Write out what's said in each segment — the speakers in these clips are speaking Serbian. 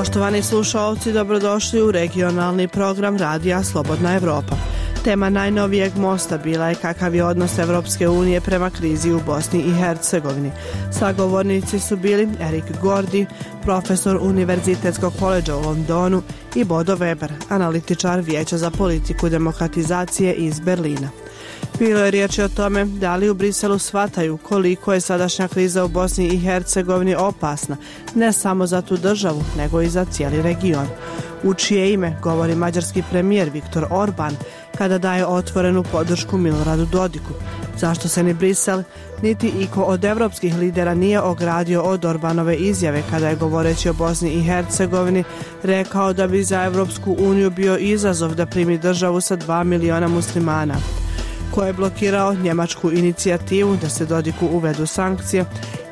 Poštovani slušalci, dobrodošli u regionalni program Radija Slobodna Evropa. Tema najnovijeg mosta bila je kakav je odnos Evropske unije prema krizi u Bosni i Hercegovini. Sagovornici su bili Erik Gordi, profesor Univerzitetskog koledža u Londonu, i Bodo Weber, analitičar Vijeća za politiku demokratizacije iz Berlina. Bilo je riječi o tome da li u Briselu shvataju koliko je sadašnja kriza u Bosni i Hercegovini opasna, ne samo za tu državu, nego i za cijeli region. U čije ime govori mađarski premijer Viktor Orban kada daje otvorenu podršku Miloradu Dodiku. Zašto se ni Brisel, niti iko od evropskih lidera nije ogradio od Orbanove izjave kada je, govoreći o Bosni i Hercegovini, rekao da bi za Evropsku uniju bio izazov da primi državu sa 2 miliona muslimana. Ko je blokirao njemačku inicijativu da se Dodiku uvedu sankcije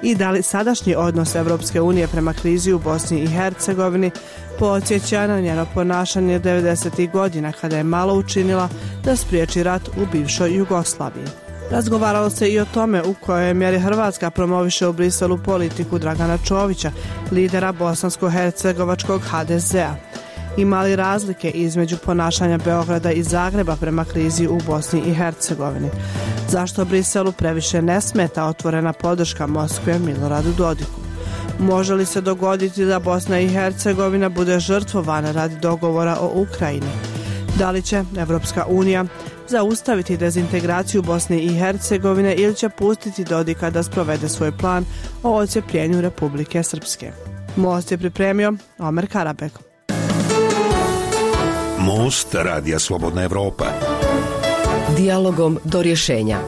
i da li sadašnji odnos Evropske unije prema krizi u Bosni i Hercegovini podsjeća na njeno ponašanje 90. godina kada je malo učinila da spriječi rat u bivšoj Jugoslaviji. Razgovaralo se i o tome u kojoj mjeri Hrvatska promoviše u Briselu politiku Dragana Čovića, lidera bosansko-hercegovačkog HDZ-a. Ima li razlike između ponašanja Beograda i Zagreba prema krizi u Bosni i Hercegovini? Zašto Briselu previše ne smeta otvorena podrška Moskve Miloradu Dodiku? Može li se dogoditi da Bosna i Hercegovina bude žrtvovana radi dogovora o Ukrajini? Da li će Evropska unija zaustaviti dezintegraciju Bosne i Hercegovine ili će pustiti Dodika da sprovede svoj plan o odcepljenju Republike Srpske? Most je pripremio Omer Karabek. Most Radija Slobodna Evropa. Dijalogom do rješenja.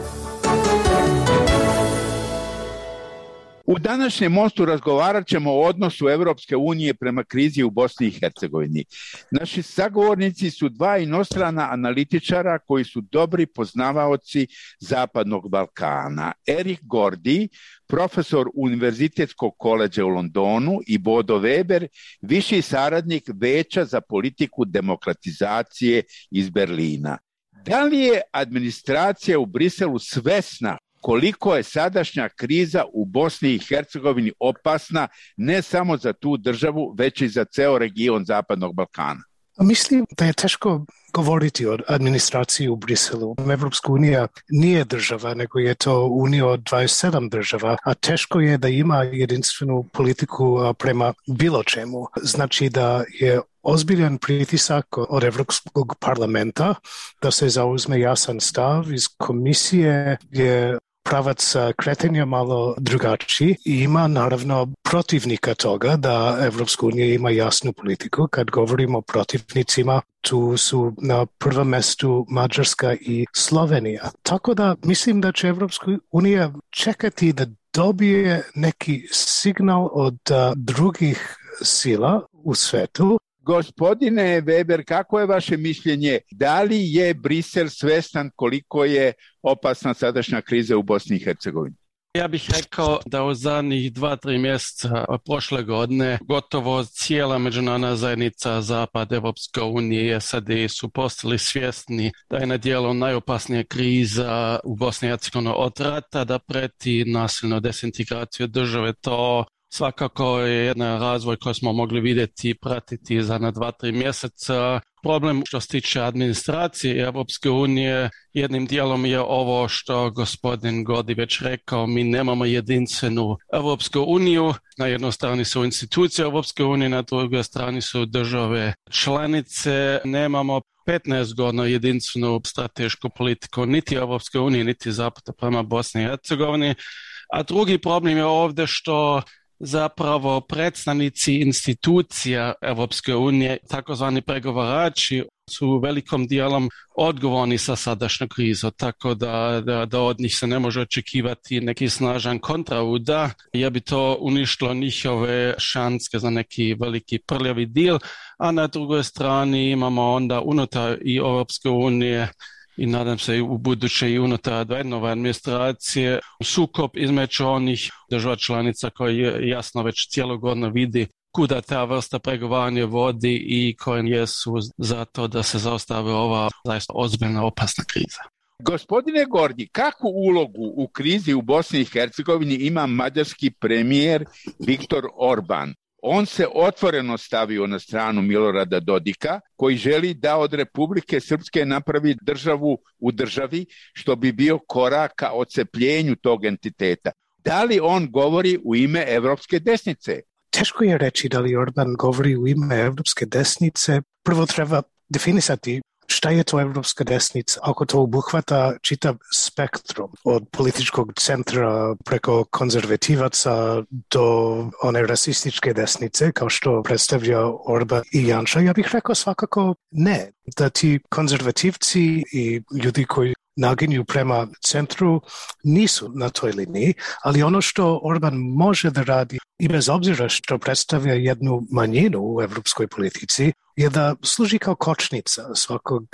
U današnjem mostu razgovarat ćemo o odnosu Evropske unije prema krizi u Bosni i Hercegovini. Naši sagovornici su dva inostrana analitičara koji su dobri poznavaoci Zapadnog Balkana. Erik Gordi, profesor Univerzitetskog koledža u Londonu, i Bodo Weber, viši saradnik Vijeća za politiku demokratizacije iz Berlina. Da li je administracija u Briselu svesna koliko je sadašnja kriza u Bosni i Hercegovini opasna ne samo za tu državu, već i za ceo region Zapadnog Balkana? Mislim da je teško govoriti o administraciji u Briselu. Evropska unija nije država, nego je to unija od 27 država, a teško je da ima jedinstvenu politiku prema bilo čemu. Znači da je ozbiljan pritisak od Evropskog parlamenta da se zauzme jasan stav. Iz komisije je pravac kretenja malo drugačiji i ima naravno protivnika toga da Evropska unija ima jasnu politiku. Kad govorimo o protivnicima, tu su na prvom mjestu Mađarska i Slovenija. Tako da mislim da će Evropska unija čekati da dobije neki signal od drugih sila u svetu. Gospodine Weber, kako je vaše mišljenje? Da li je Brisel svestan koliko je opasna sadašnja kriza u Bosni i Hercegovini? Ja bih rekao da u zadnjih 2-3 mjeseca prošle godine gotovo cijela međunarodna zajednica, Zapad, Evropska unija i SAD su postali svjesni da je na djelu najopasnija kriza u Bosni i Hercegovini od rata, da preti nasilno dezintegraciju države. To svakako je jedan razvoj koji smo mogli vidjeti i pratiti za na 2-3 mjeseca. Problem što se tiče administracije Evropske unije jednim dijelom je ovo što gospodin Gordi već rekao, mi nemamo jedinstvenu Evropsku uniju. Na jednoj strani su institucije Evropske unije, na drugoj strani su države članice. Nemamo 15 godina jedinstvenu stratešku politiku niti Evropske unije, niti Zapada prema Bosni i Hercegovini. A drugi problem je ovdje što zapravo predstavnici institucija Evropske unije, takozvani pregovarači, su velikom dijelom odgovorni sa sadašnjom krizom, tako da od njih se ne može očekivati neki snažan kontraudar, jer bi to uništilo njihove šanse za neki veliki prljavi deal, a na drugoj strani imamo onda unutar i Evropske unije i nadam se i u buduće i unutar nove administracije sukob između onih država članica koji jasno već cijelo godinu vidi kuda ta vrsta pregovaranja vodi i koji jesu za to da se zaustavi ova zaista ozbiljna opasna kriza. Gospodine Gordi, kakvu ulogu u krizi u Bosni i Hercegovini ima mađarski premijer Viktor Orban? On se otvoreno stavio na stranu Milorada Dodika, koji želi da od Republike Srpske napravi državu u državi, što bi bio korak ka odcepljenju tog entiteta. Da li on govori u ime evropske desnice? Teško je reći da li Orban govori u ime evropske desnice. Prvo treba definisati šta je to evropska desnica, ako to obuhvata čitav spektrum od političkog centra preko konzervativaca do one rasističke desnice, kao što predstavlja Orban i Janša. Ja bih rekao svakako ne, da ti konzervativci i ljudi koji naginju prema centru nisu na toj liniji, ali ono što Orban može da radi, i bez obzira što predstavlja jednu manjinu u evropskoj politici, je da služi kao kočnica svakog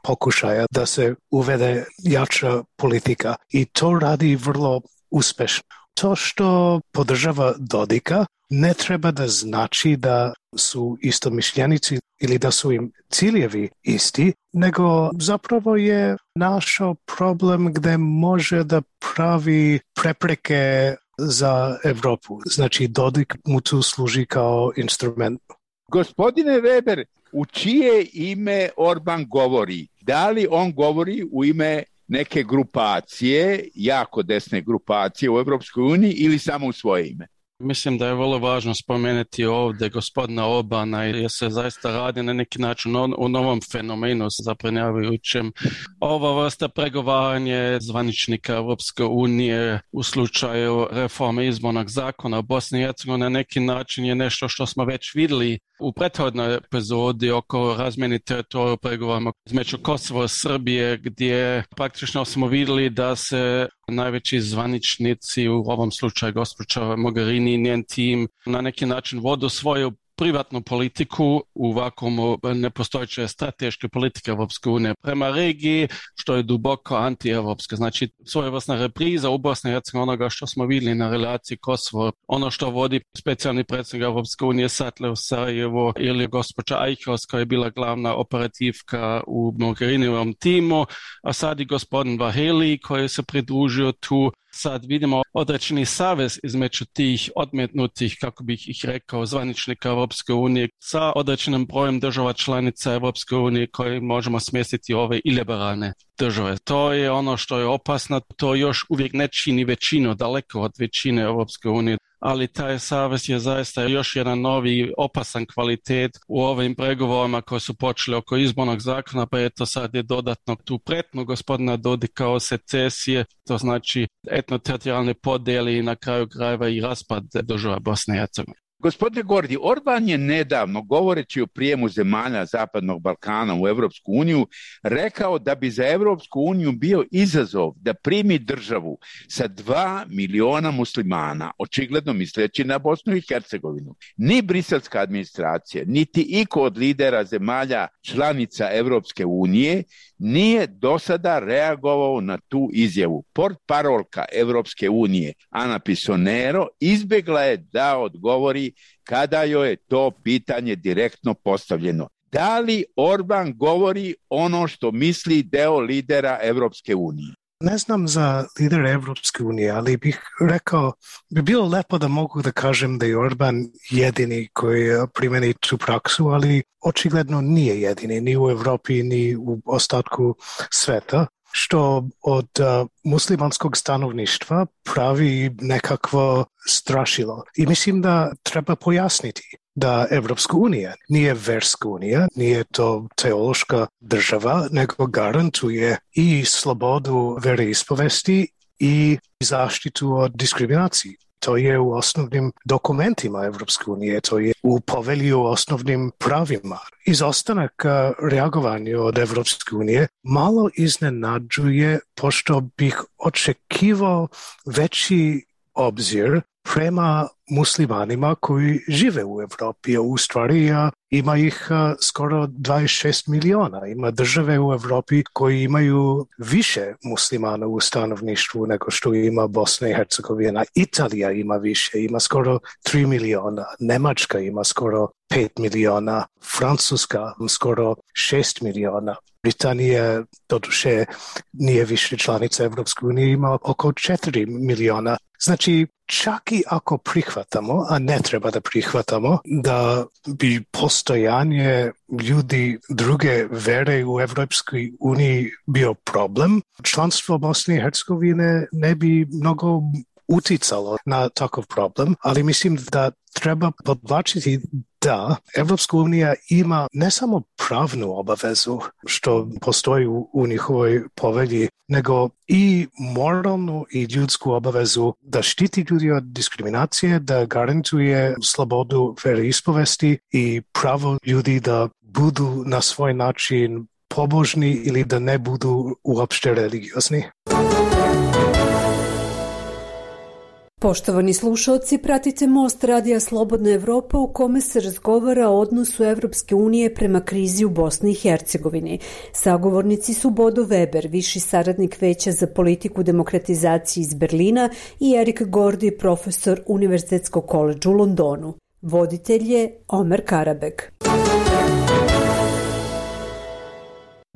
pokušaja da se uvede jača politika i to radi vrlo uspešno. To što podržava Dodika ne treba da znači da su istomišljenici ili da su im ciljevi isti, nego zapravo je našao problem gde može da pravi prepreke za Evropu. Znači Dodik mu tu služi kao instrument. Gospodine Weber, u čije ime Orban govori? Da li on govori u ime neke grupacije, jako desne grupacije u Evropskoj uniji ili samo u svoje ime? Mislim da je vrlo važno spomenuti ovdje gospodina Orbana jer se zaista radi na neki način o novom fenomenu zabrinjavajućem. Ova vrsta pregovaranja zvaničnika Europske unije u slučaju reforme izbornog zakona u Bosni i Hercegovini na neki način je nešto što smo već vidjeli u prethodnoj epizodi oko razmjene teritorija u pregovorima između Kosova i Srbije, gdje praktično smo vidjeli da se najveći zvaničnici, u ovom slučaju gospođa Mogherini i njen tim, na neki način vodu svoju privatnu politiku u vakuumu nepostojeće strateške politike Evropske unije prema regiji, što je duboko anti-evropska. Znači, svojevrsna repriza u Bosni i Hercegovini onoga što smo vidjeli na relaciji Kosovo. Ono što vodi specijalni predsjednik Evropske unije Satle u Sarajevo ili gospođa Eichhaus koja je bila glavna operativka u Mogherinijevom timu, a sad i gospodin Vaheli koji se pridružio tu. Sad vidimo određeni savez između tih odmetnutih, kako bih ih rekao, zvaničnika Evropske unije sa određenim brojem država članica Evropske unije koje možemo smjestiti ove iliberalne države. To je ono što je opasno, to još uvijek ne čini većinu, daleko od većine Evropske unije. Ali taj savez je zaista još jedan novi opasan kvalitet u ovim pregovorima koji su počeli oko izbornog zakona, pa eto sad je dodatno tu pretnu gospodina Dodika o secesije, to znači etnoteritorijalne podjele i na kraju krajeva i raspad država Bosne i Hercegovine. Gospodine Gordi, Orban je nedavno, govoreći o prijemu zemalja Zapadnog Balkana u Evropsku uniju, rekao da bi za Evropsku uniju bio izazov da primi državu sa 2 miliona muslimana, očigledno misleći na Bosnu i Hercegovinu. Ni briselska administracija, niti iko od lidera zemalja članica Evropske unije nije do sada reagovao na tu izjavu. Portparolka Evropske unije Ana Pisonero izbjegla je da odgovori kada joj je to pitanje direktno postavljeno. Da li Orban govori ono što misli deo lidera Evropske unije? Ne znam za lidera Evropske unije, ali bih rekao, bi bilo lepo da mogu da kažem da je Orban jedini koji primeni tu praksu, ali očigledno nije jedini, ni u Evropi, ni u ostatku sveta, što od muslimanskog stanovništva pravi nekakvo strašilo. I mislim da treba pojasniti da Evropska unija nije verska unija, nije to teološka država, nego garantuje i slobodu veroispovesti i zaštitu od diskriminacije. To je u osnovnim dokumentima Evropske unije, to je u povelji o osnovnim pravima. Izostanak reagovanja od Evropske unije malo iznenađuje, pošto bih očekivao veći obzir prema muslimanima koji žive u Evropi. U stvari ima ih skoro 26 miliona. Ima države u Evropi koji imaju više muslimana u stanovništvu nego što ima Bosna i Hercegovina. Italija ima više, ima skoro 3 miliona. Nemačka ima skoro 5 miliona. Francuska skoro 6 miliona. Britanija, doduše, nije više članica Evropske unije, ima oko 4 miliona. Znači, čak i ako prihvatamo, a ne treba da prihvatamo, da bi postojanje ljudi druge vere u Evropskoj uniji bio problem, članstvo Bosne i Hercegovine ne bi mnogo uticalo na takav problem, ali mislim da treba podvlačiti da Evropska unija ima ne samo pravnu obavezu što postoji u njihovoj povelji, nego i moralnu i ljudsku obavezu da štiti ljudi od diskriminacije, da garantuje slobodu veroispovesti i pravo ljudi da budu na svoj način pobožni ili da ne budu uopšte religiozni. Poštovani slušalci, pratite Most Radija Slobodna Evropa u kome se razgovara o odnosu Evropske unije prema krizi u Bosni i Hercegovini. Sagovornici su Bodo Weber, viši saradnik Veća za politiku demokratizacije iz Berlina, i Erik Gordi, profesor Univerzitetskog koledža u Londonu. Voditelj je Omer Karabek.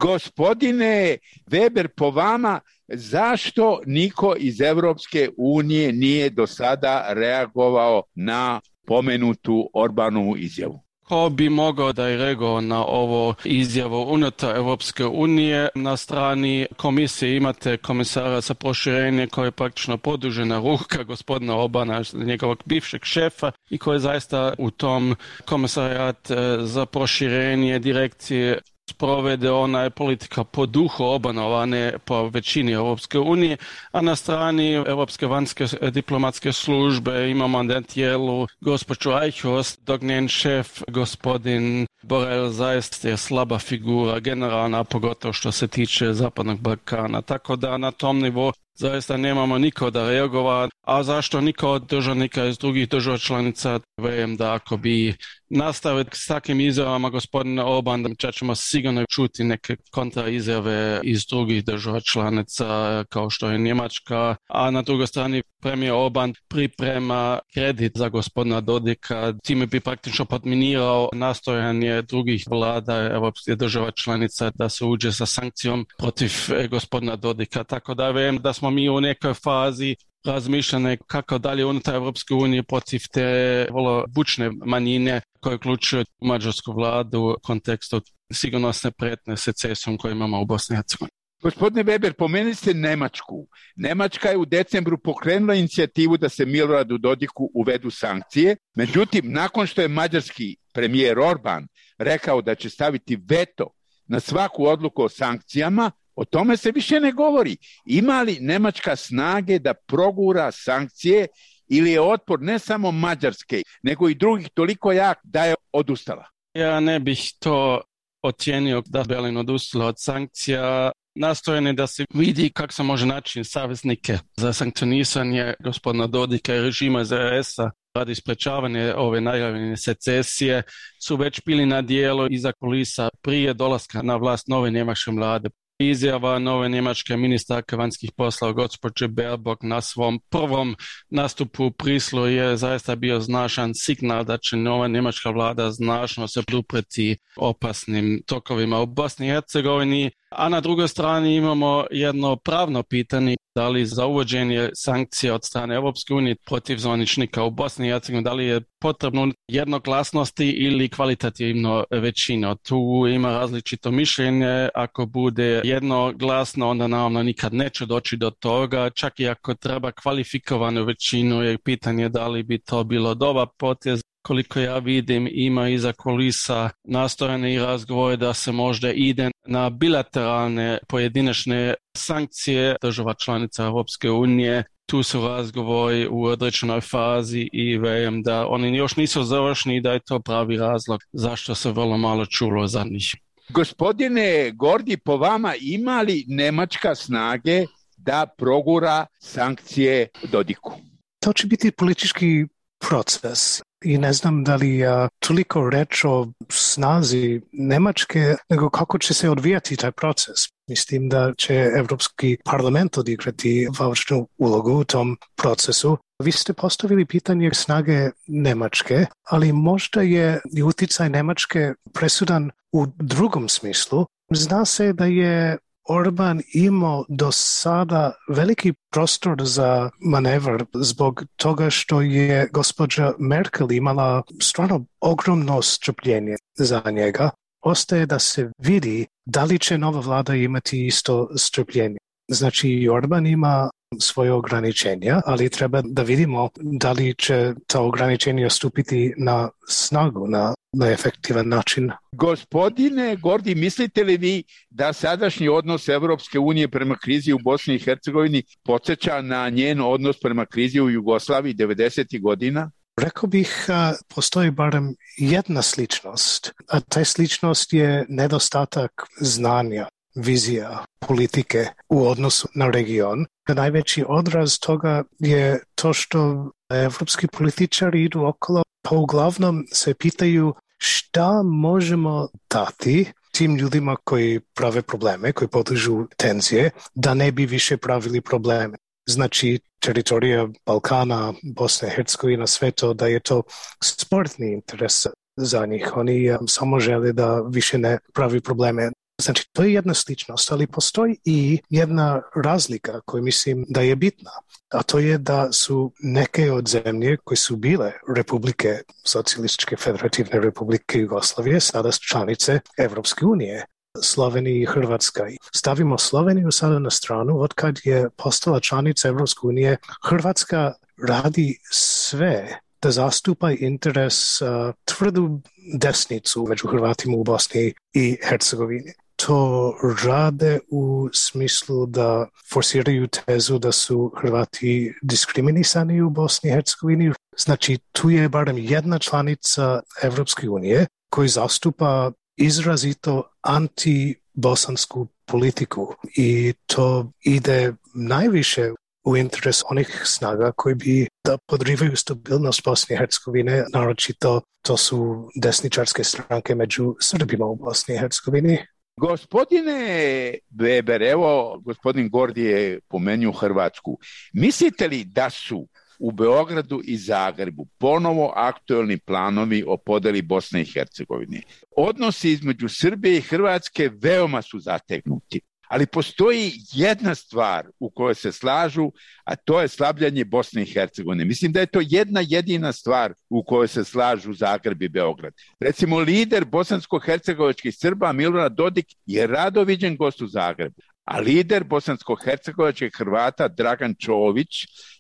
Gospodine Weber, po vama, zašto niko iz Evropske unije nije do sada reagovao na pomenutu Orbanovu izjavu? Ko bi mogao da je reagovao na ovo izjavu unutar Evropske unije? Na strani komisije imate komisara za proširenje koji je praktično produžena ruka gospodina Orbana, njegovog bivšeg šefa, i koji je zaista u tom komisarijat za proširenje direkcije sprovede ona politika po duhu Orbanova, ne po većini Evropske unije, a na strani Evropske vanjske diplomatske službe imamo na tijelu gospođu Eichhorst, dok njen šef, gospodin Borrell, zaista je slaba figura generalna, pogotovo što se tiče Zapadnog Balkana. Tako da na tom nivou zaista nemamo niko da reagova, a zašto niko od državnika iz drugih država članica? Vjerujem da ako bi nastaviti s takvim izjavama gospodina Orban, da ćemo sigurno čuti neke kontraizjave iz drugih država članica kao što je Njemačka, a na drugoj strani premijer Orban priprema kredit za gospodina Dodika, time bi praktično podminirao nastojanje drugih vlada evropskih država članica da se uđe sa sankcijom protiv gospodina Dodika. Tako da vjerujem da smo mi u nekoj fazi razmišljane kako dalje unutar Evropske unije protiv te vrlo bučne manjine koje uključuju mađarsku vladu u kontekstu sigurnosne prijetnje secesijom koju imamo u Bosni i Hercegovini. Gospodine Weber, pomenuli ste Nemačku. Nemačka je u decembru pokrenula inicijativu da se Miloradu Dodiku uvedu sankcije. Međutim, nakon što je mađarski premijer Orban rekao da će staviti veto na svaku odluku o sankcijama, o tome se više ne govori. Ima li Nemačka snage da progura sankcije ili je otpor ne samo Mađarske, nego i drugih toliko jak da je odustala? Ja ne bih to ocijenio da Berlin odustala od sankcija. Nastojanje da se vidi kako se može naći saveznike za sankcionisanje gospodina Dodika i režima ZRS-a radi sprečavanja ove najavljene secesije su već bili na dijelu iza kulisa prije dolaska na vlast nove njemačke vlade. Izjava nove njemačke ministarke vanjskih poslova gospođe Baerbock na svom prvom nastupu u Briselu je zaista bio značajan signal da će nova njemačka vlada značajno se odupreti opasnim tokovima u Bosni i Hercegovini. A na drugoj strani imamo jedno pravno pitanje, da li za uvođenje sankcija od strane Evropske unije protiv zvaničnika u Bosni i Hercegovini, da li je potrebno jednoglasnosti ili kvalitativno većina. Tu ima različito mišljenje, ako bude jednoglasno, onda naravno nikad neće doći do toga, čak i ako treba kvalifikovanu većinu, je pitanje da li bi to bilo dobar potez. Koliko ja vidim, ima iza kulisa nastojane i razgovore da se možda ide na bilateralne pojedinačne sankcije država članica Evropske unije. Tu su razgovori u određenoj fazi i vjerujem da oni još nisu završeni i da je to pravi razlog zašto se vrlo malo čulo za njih. Gospodine Gordi, po vama ima li Nemačka snage da progura sankcije Dodiku? To će biti politički proces. I ne znam da li je toliko reč o snazi Nemačke, nego kako će se odvijati taj proces. Mislim da će Evropski parlament odigrati važnu ulogu u tom procesu. Vi ste postavili pitanje snage Nemačke, ali možda je i uticaj Nemačke presudan u drugom smislu. Zna se da je Orban imao do sada veliki prostor za manevr zbog toga što je gospođa Merkel imala stvarno ogromno strpljenje za njega. Ostaje da se vidi da li će nova vlada imati isto strpljenje. Znači, Orban ima svoje ograničenja, ali treba da vidimo da li će ta ograničenja stupiti na snagu, na efektivan način. Gospodine Gordi, mislite li vi da sadašnji odnos Evropske unije prema krizi u Bosni i Hercegovini podsjeća na njen odnos prema krizi u Jugoslaviji 90. godina? Rekao bih, postoji barem jedna sličnost, a ta sličnost je nedostatak znanja, vizija, politike u odnosu na region. Najveći odraz toga je to što evropski političari idu okolo, pa uglavnom se pitaju šta možemo dati tim ljudima koji prave probleme, koji podižu tenzije, da ne bi više pravili probleme. Znači, teritorija Balkana, Bosna i Hercegovina, sve to, da je to sportni interes za njih. Oni samo žele da više ne pravi probleme. Znači, to je jedna sličnost, ali postoji i jedna razlika koju mislim da je bitna. A to je da su neke od zemlje koje su bile republike, Socijalističke federativne republike Jugoslavije, sada članice Evropske unije. Slovenija i Hrvatska. Stavimo Sloveniju sada na stranu, od kad je postala članica Evropske unije, Hrvatska radi sve da zastupa interes tvrdu desnicu među Hrvatima u Bosni i Hercegovini. To rade u smislu da forsiraju tezu da su Hrvati diskriminisani u Bosni i Hercegovini. Znači, tu je barem jedna članica Evropske unije koji zastupa izrazito anti-bosansku politiku i to ide najviše u interes onih snaga koji bi da podrivaju stabilnost Bosne i Hercegovine, naročito to su desničarske stranke među Srbima u Bosni i Hercegovini. Gospodine Weber, evo gospodin Gordi je pomenuo Hrvatsku. Mislite li da su u Beogradu i Zagrebu ponovo aktuelni planovi o podeli Bosne i Hercegovine? Odnosi između Srbije i Hrvatske veoma su zategnuti, ali postoji jedna stvar u kojoj se slažu, a to je slabljanje Bosne i Hercegovine. Mislim da je to jedna jedina stvar u kojoj se slažu Zagreb i Beograd. Recimo, lider bosansko-hercegovačkih Srba Milorad Dodik je rado viđen gost u Zagrebu, a lider bosansko-hercegovačkih Hrvata Dragan Čović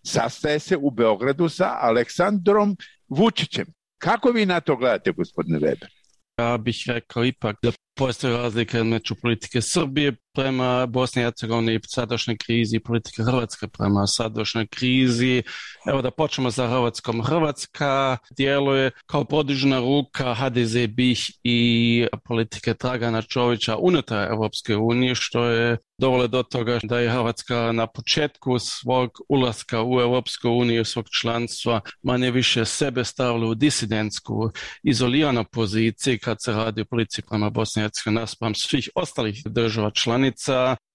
sastaje se u Beogradu sa Aleksandrom Vučićem. Kako vi na to gledate, gospodine Weber? Ja bih rekao ipak da postoji razlika među politike Srbije prema Bosni i Hercegovini i sadašnjoj krizi i politike Hrvatske prema sadašnjoj krizi. Evo da počnemo sa Hrvatskom. Hrvatska djeluje kao produžena ruka HDZ BiH i politike Dragana Čovića unutar Evropske unije, što je dovelo do toga da je Hrvatska na početku svog ulaska u Evropsku uniju, svog članstva, manje više sebe stavila u disidentsku, izoliranu poziciju kad se radi o politici prema Bosni i Hercegovini naspram svih ostalih država članica.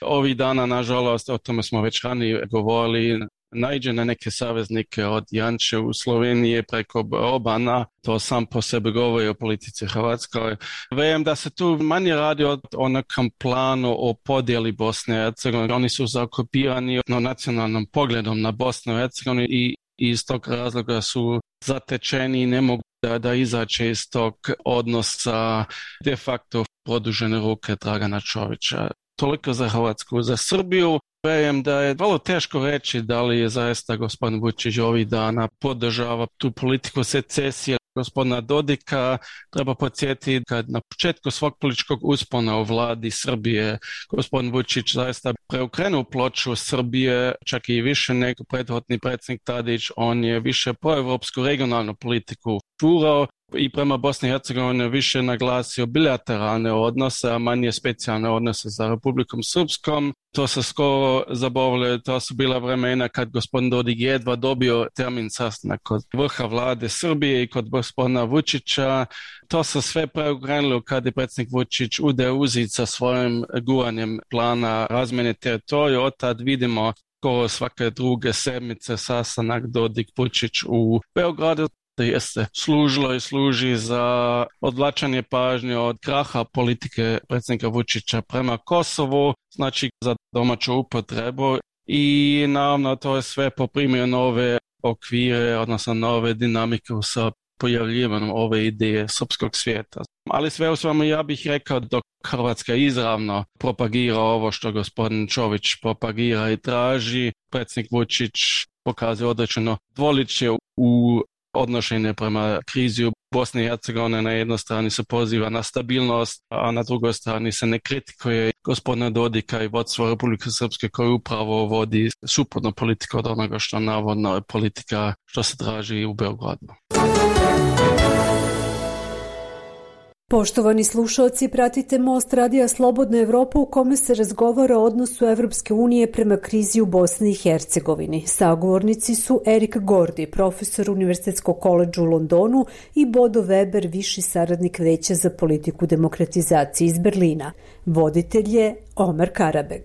Ovih dana, nažalost, o tome smo već ranije govorili, naiđe na neke saveznike od Janše u Sloveniji preko Orbana, to sam po sebi govori o politici Hrvatskoj. Vem da se tu manje radi o nekom planu o podjeli Bosne i Hercegovine. Oni su zaokupirani nacionalnom pogledom na Bosnu i Hercegovinu i iz tog razloga su zatečeni i ne mogu da izaće iz tog odnosa de facto produžene ruke Dragana Čovića. Toliko za Hrvatsku. Za Srbiju vjerujem da je vrlo teško reći da li je zaista gospodin Vučić ovih dana podržava tu politiku secesije gospodina Dodika. Treba podsjetiti kad na početku svog političkog uspona u vladi Srbije gospodin Vučić zaista preokrenuo ploču Srbije, čak i više nego prethodni predsjednik Tadić. On je više proevropsku regionalnu politiku furao i prema Bosni i Hercegovini više naglasio bilateralne odnose, a manje specijalne odnose sa Republikom Srpskom. To se skoro zaboravilo, to su bila vremena kad gospodin Dodik jedva dobio termin sastanak kod vrha vlade Srbije i kod gospodina Vučića. To se sve preokrenulo kad je predsjednik Vučić ude uzit sa svojim guranjem plana razmjene teritorija. Od tad vidimo skoro svake druge sedmice sastanak Dodik Vučić u Beogradu. jeste služilo i služi za odvlačanje pažnje od kraha politike predsjednika Vučića prema Kosovu, znači za domaću upotrebu i naravno to je sve poprimio nove okvire, odnosno nove dinamike sa pojavljivanjem ove ideje srpskog svijeta. Ali sve u svemu ja bih rekao dok Hrvatska izravno propagira ovo što gospodin Čović propagira i traži, predsjednik Vučić pokazuje određeno dvoličje u odnošenje prema krizi u Bosni i Hercegovine. Na jednoj strani se poziva na stabilnost, a na drugoj strani se ne kritikuje gospodina Dodika i vodstvo Republike Srpske koji upravo vodi suprotnu politiku od onoga što navodno je politika što se traži u Beogradu. Poštovani slušalci, pratite Most Radija Slobodna Evropa u kome se razgovara o odnosu Evropske unije prema krizi u Bosni i Hercegovini. Sagovornici su Erik Gordi, profesor Univerzitetskog koledža u Londonu i Bodo Weber, viši saradnik Veća za politiku demokratizacije iz Berlina. Voditelj je Omer Karabeg.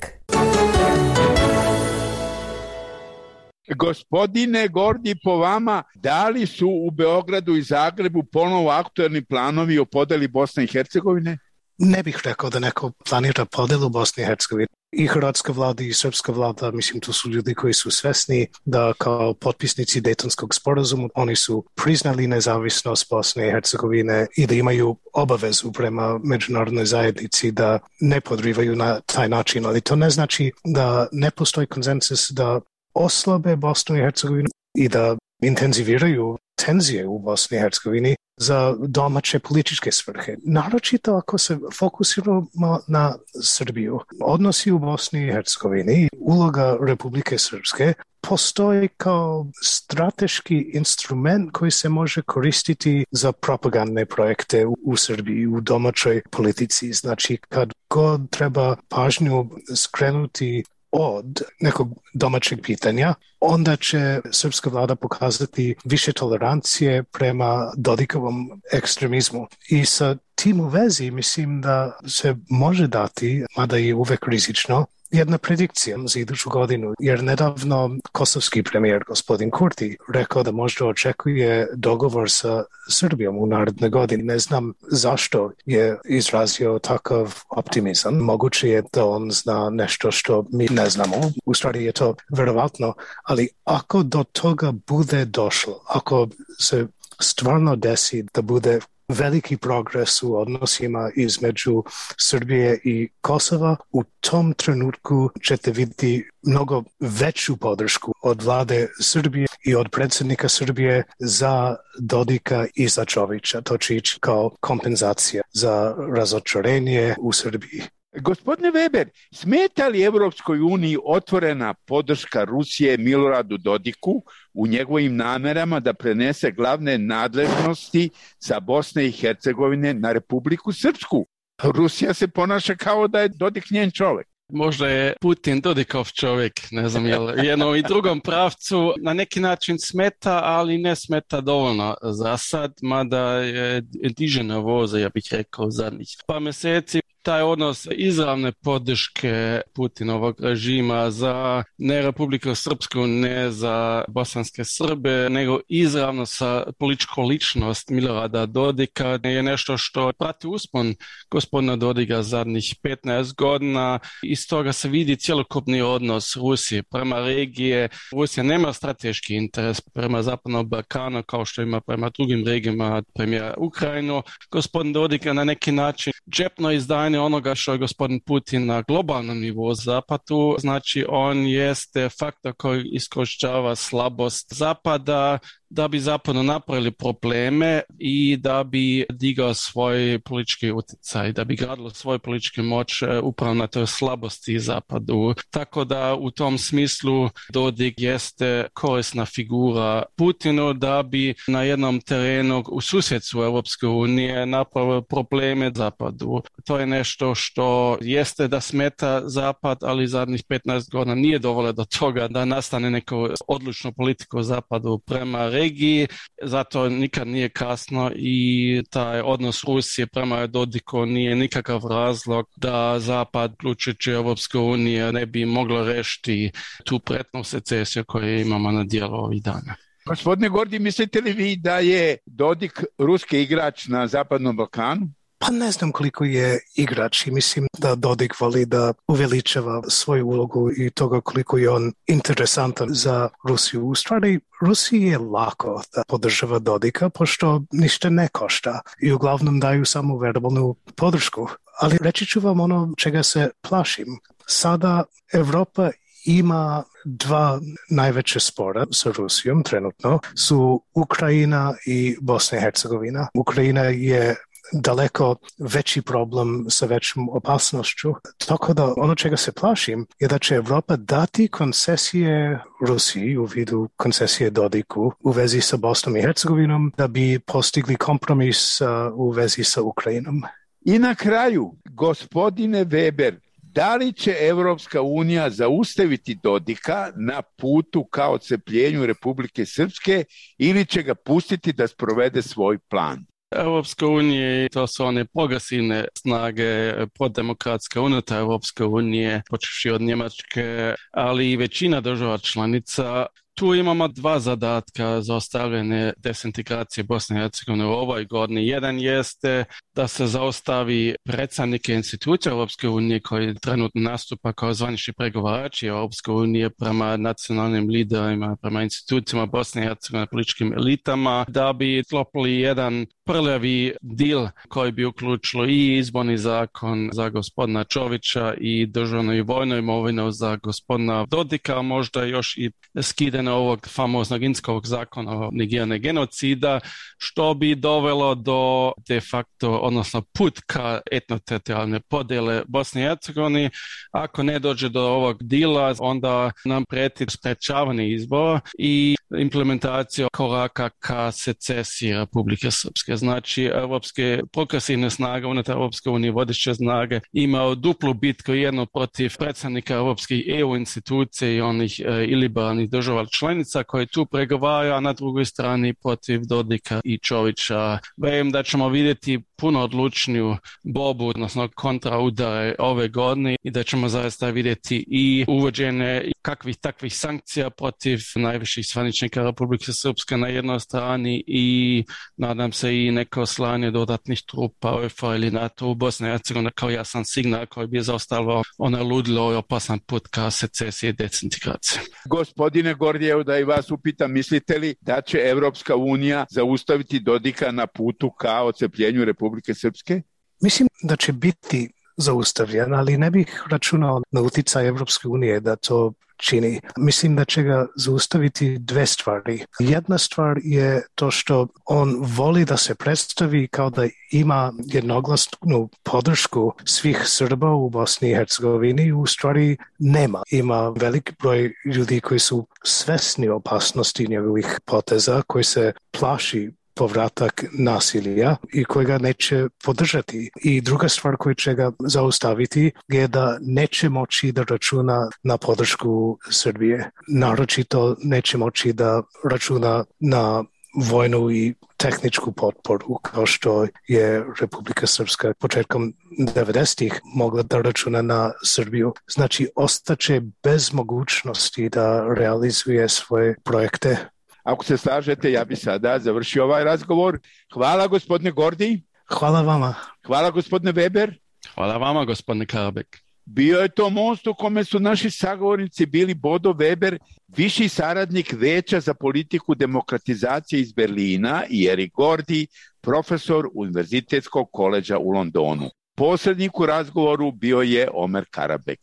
Gospodine Gordi, po vama, da li su u Beogradu i Zagrebu ponovo aktuelni planovi o podeli Bosne i Hercegovine? Ne bih rekao da neko planira podelu Bosne i Hercegovine. I hrvatska vlada i srpska vlada, mislim, to su ljudi koji su svesni da kao potpisnici Dejtonskog sporazuma oni su priznali nezavisnost Bosne i Hercegovine i da imaju obavezu prema međunarodnoj zajednici da ne podrivaju na taj način, ali to ne znači da ne postoji konsenzus da oslabe Bosnu i Hercegovinu i da intenziviraju tenzije u Bosni i Hercegovini za domaće političke svrhe. Naročito ako se fokusiramo na Srbiju. Odnosi u Bosni i Hercegovini, uloga Republike Srpske postoji kao strateški instrument koji se može koristiti za propagandne projekte u Srbiji, u domaćoj politici. Znači, kad god treba pažnju skrenuti od nekog domaćeg pitanja, onda će srpska vlada pokazati više tolerancije prema Dodikovom ekstremizmu. I sa tim u vezi mislim da se može dati, mada je uvek rizično, jedna predikcija za iduću godinu, jer nedavno kosovski premijer gospodin Kurti rekao da možda očekuje dogovor sa Srbijom u narednoj godini. Ne znam zašto je izrazio takav optimizam. Moguće je da on zna nešto što mi ne znamo. U stvari je to verovatno, ali ako do toga bude došlo, ako se stvarno desi da bude veliki progres u odnosima između Srbije i Kosova, u tom trenutku ćete vidjeti mnogo veću podršku od vlade Srbije i od predsjednika Srbije za Dodika i za Čovića. To će ići kao kompenzacija za razočarenje u Srbiji. Gospodine Weber, smeta li Evropskoj uniji otvorena podrška Rusije Miloradu Dodiku u njegovim namerama da prenese glavne nadležnosti sa Bosne i Hercegovine na Republiku Srpsku? Rusija se ponaša kao da je Dodik njen čovjek. Možda je Putin Dodikov čovjek, ne znam, je li jednom i drugom pravcu na neki način smeta, ali ne smeta dovoljno za sad, mada je dižena voza, ja bih rekao, zadnjih par mjeseci. Taj odnos izravne podrške Putinovog režima za ne Republiku Srpsku, ne za bosanske Srbe, nego izravno sa političkom ličnost Milorada Dodika je nešto što prati uspon gospodina Dodika zadnjih 15 godina. Iz toga se vidi cjelokupni odnos Rusije prema regije. Rusija nema strateški interes prema Zapadnom Balkanu kao što ima prema drugim regijama, primjer Ukrajinu. Gospodin Dodik na neki način džepno izdanje onoga što je gospodin Putin na globalnom nivou Zapadu, znači on jeste faktor koji iskorištava slabost Zapada da bi zapadno napravili probleme i da bi digao svoj politički utjecaj, da bi gradilo svoju političku moć upravo na toj slabosti Zapadu. Tako da u tom smislu Dodik jeste korisna figura Putinu da bi na jednom terenu u susjedstvu Europske unije napravio probleme Zapadu. To je nešto što jeste da smeta Zapad, ali zadnjih 15 godina nije dovoljno do toga da nastane neko odlučno politiku Zapadu prema regiji, zato nikad nije kasno i taj odnos Rusije prema Dodiku nije nikakav razlog da Zapad, uključujući Europske unije, ne bi moglo rešiti tu pretnu secesiju koju imamo na dijelu ovih dana. Gospodine Gordi, mislite li vi da je Dodik ruski igrač na Zapadnom Balkanu? Pa ne znam koliko je igrač i mislim da Dodik voli da uveličava svoju ulogu i toga koliko je on interesantan za Rusiju. U stvari, Rusiji je lako da podržava Dodika, pošto ništa ne košta i uglavnom daju samo verbalnu podršku. Ali reći ću vam ono čega se plašim. Sada Evropa ima dva najveće spora sa Rusijom trenutno, su Ukrajina i Bosna i Hercegovina. Ukrajina je daleko veći problem sa većom opasnošću. Tako da ono čega se plašim je da će Evropa dati koncesije Rusiji u vidu koncesije Dodiku u vezi sa Bosnom i Hercegovinom da bi postigli kompromis u vezi sa Ukrajinom. I na kraju, gospodine Weber, da li će Evropska unija zaustaviti Dodika na putu ka odcepljenju Republike Srpske ili će ga pustiti da sprovede svoj plan? Europska unija, to su one progresivne snage proddemokratske unutar Europske unije, počevši od Njemačke, ali i većina država članica. Tu imamo dva zadatka za ostavljanje desintegracije Bosne i Hercegovine u ovoj godini. Jedan jeste da se zaustavi predstavnike institucija Europske unije koji trenutno nastupa kao zvanični pregovarači Europske unije prema nacionalnim liderima, prema institucijama Bosne i Hercegovine, političkim elitama, da bi sklopili jedan prljavi dil koji bi uključilo i izborni zakon za gospodina Čovića i državnu i vojnu imovinu za gospodina Dodika, možda još i skidanje ovog famoznog Inskovog zakona o negiranje genocida, što bi dovelo do de facto, odnosno put ka etnoteritorijalne podjele Bosne i Hercegovine. Ako ne dođe do ovog dila, onda nam prijeti sprečavanje izbora i implementacija koraka ka secesiji Republike Srpske. Znači, evropske progresivne snage unutar Europske unije, vodeće snage, imaju duplu bitku, jedno protiv predstavnika europskih EU institucija i onih iliberalnih država članica koji tu pregovaraju, a na drugoj strani protiv Dodika i Čovića. Vjerujem da ćemo vidjeti puno odlučniju borbu, odnosno kontraudare ove godine i da ćemo zaista vidjeti i uvođenje kakvih takvih sankcija protiv najviših zvaničnika Republike Srpske na jednoj strani i nadam se i neko slanje dodatnih trupa UEFA ili NATO u Bosni i Hercegovini kao jasan signal koji bi zaustavio onaj ludilo i opasan put ka secesiji i desintegraciji. Gospodine Gordijev, da i vas upitam, mislite li da će Evropska unija zaustaviti Dodika na putu ka odcepljenju Republike Srpske? Mislim da će biti zaustavljen, ali ne bih računao na utjecaj Evropske unije da to čini. Mislim da će ga zaustaviti dve stvari. Jedna stvar je to što on voli da se predstavi kao da ima jednoglasnu podršku svih Srba u Bosni i Hercegovini. U stvari nema. Ima velik broj ljudi koji su svesni opasnosti njegovih poteza, koji se plaši povratak nasilja i koji ga neće podržati. I druga stvar koja će ga zaustaviti je da neće moći da računa na podršku Srbije. Naročito neće moći da računa na vojnu i tehničku potporu kao što je Republika Srpska početkom 90-ih mogla da računa na Srbiju. Znači, ostaće bez mogućnosti da realizuje svoje projekte. Ako se slažete, ja bi sada završio ovaj razgovor. Hvala gospodine Gordi. Hvala vama. Hvala gospodine Weber. Hvala vama gospodine Karabek. Bio je to most u kome su naši sagovornici bili Bodo Weber, viši saradnik Veća za politiku demokratizacije iz Berlina, i Erik Gordi, profesor Univerzitetskog koledža u Londonu. Posrednik u razgovoru bio je Omer Karabek.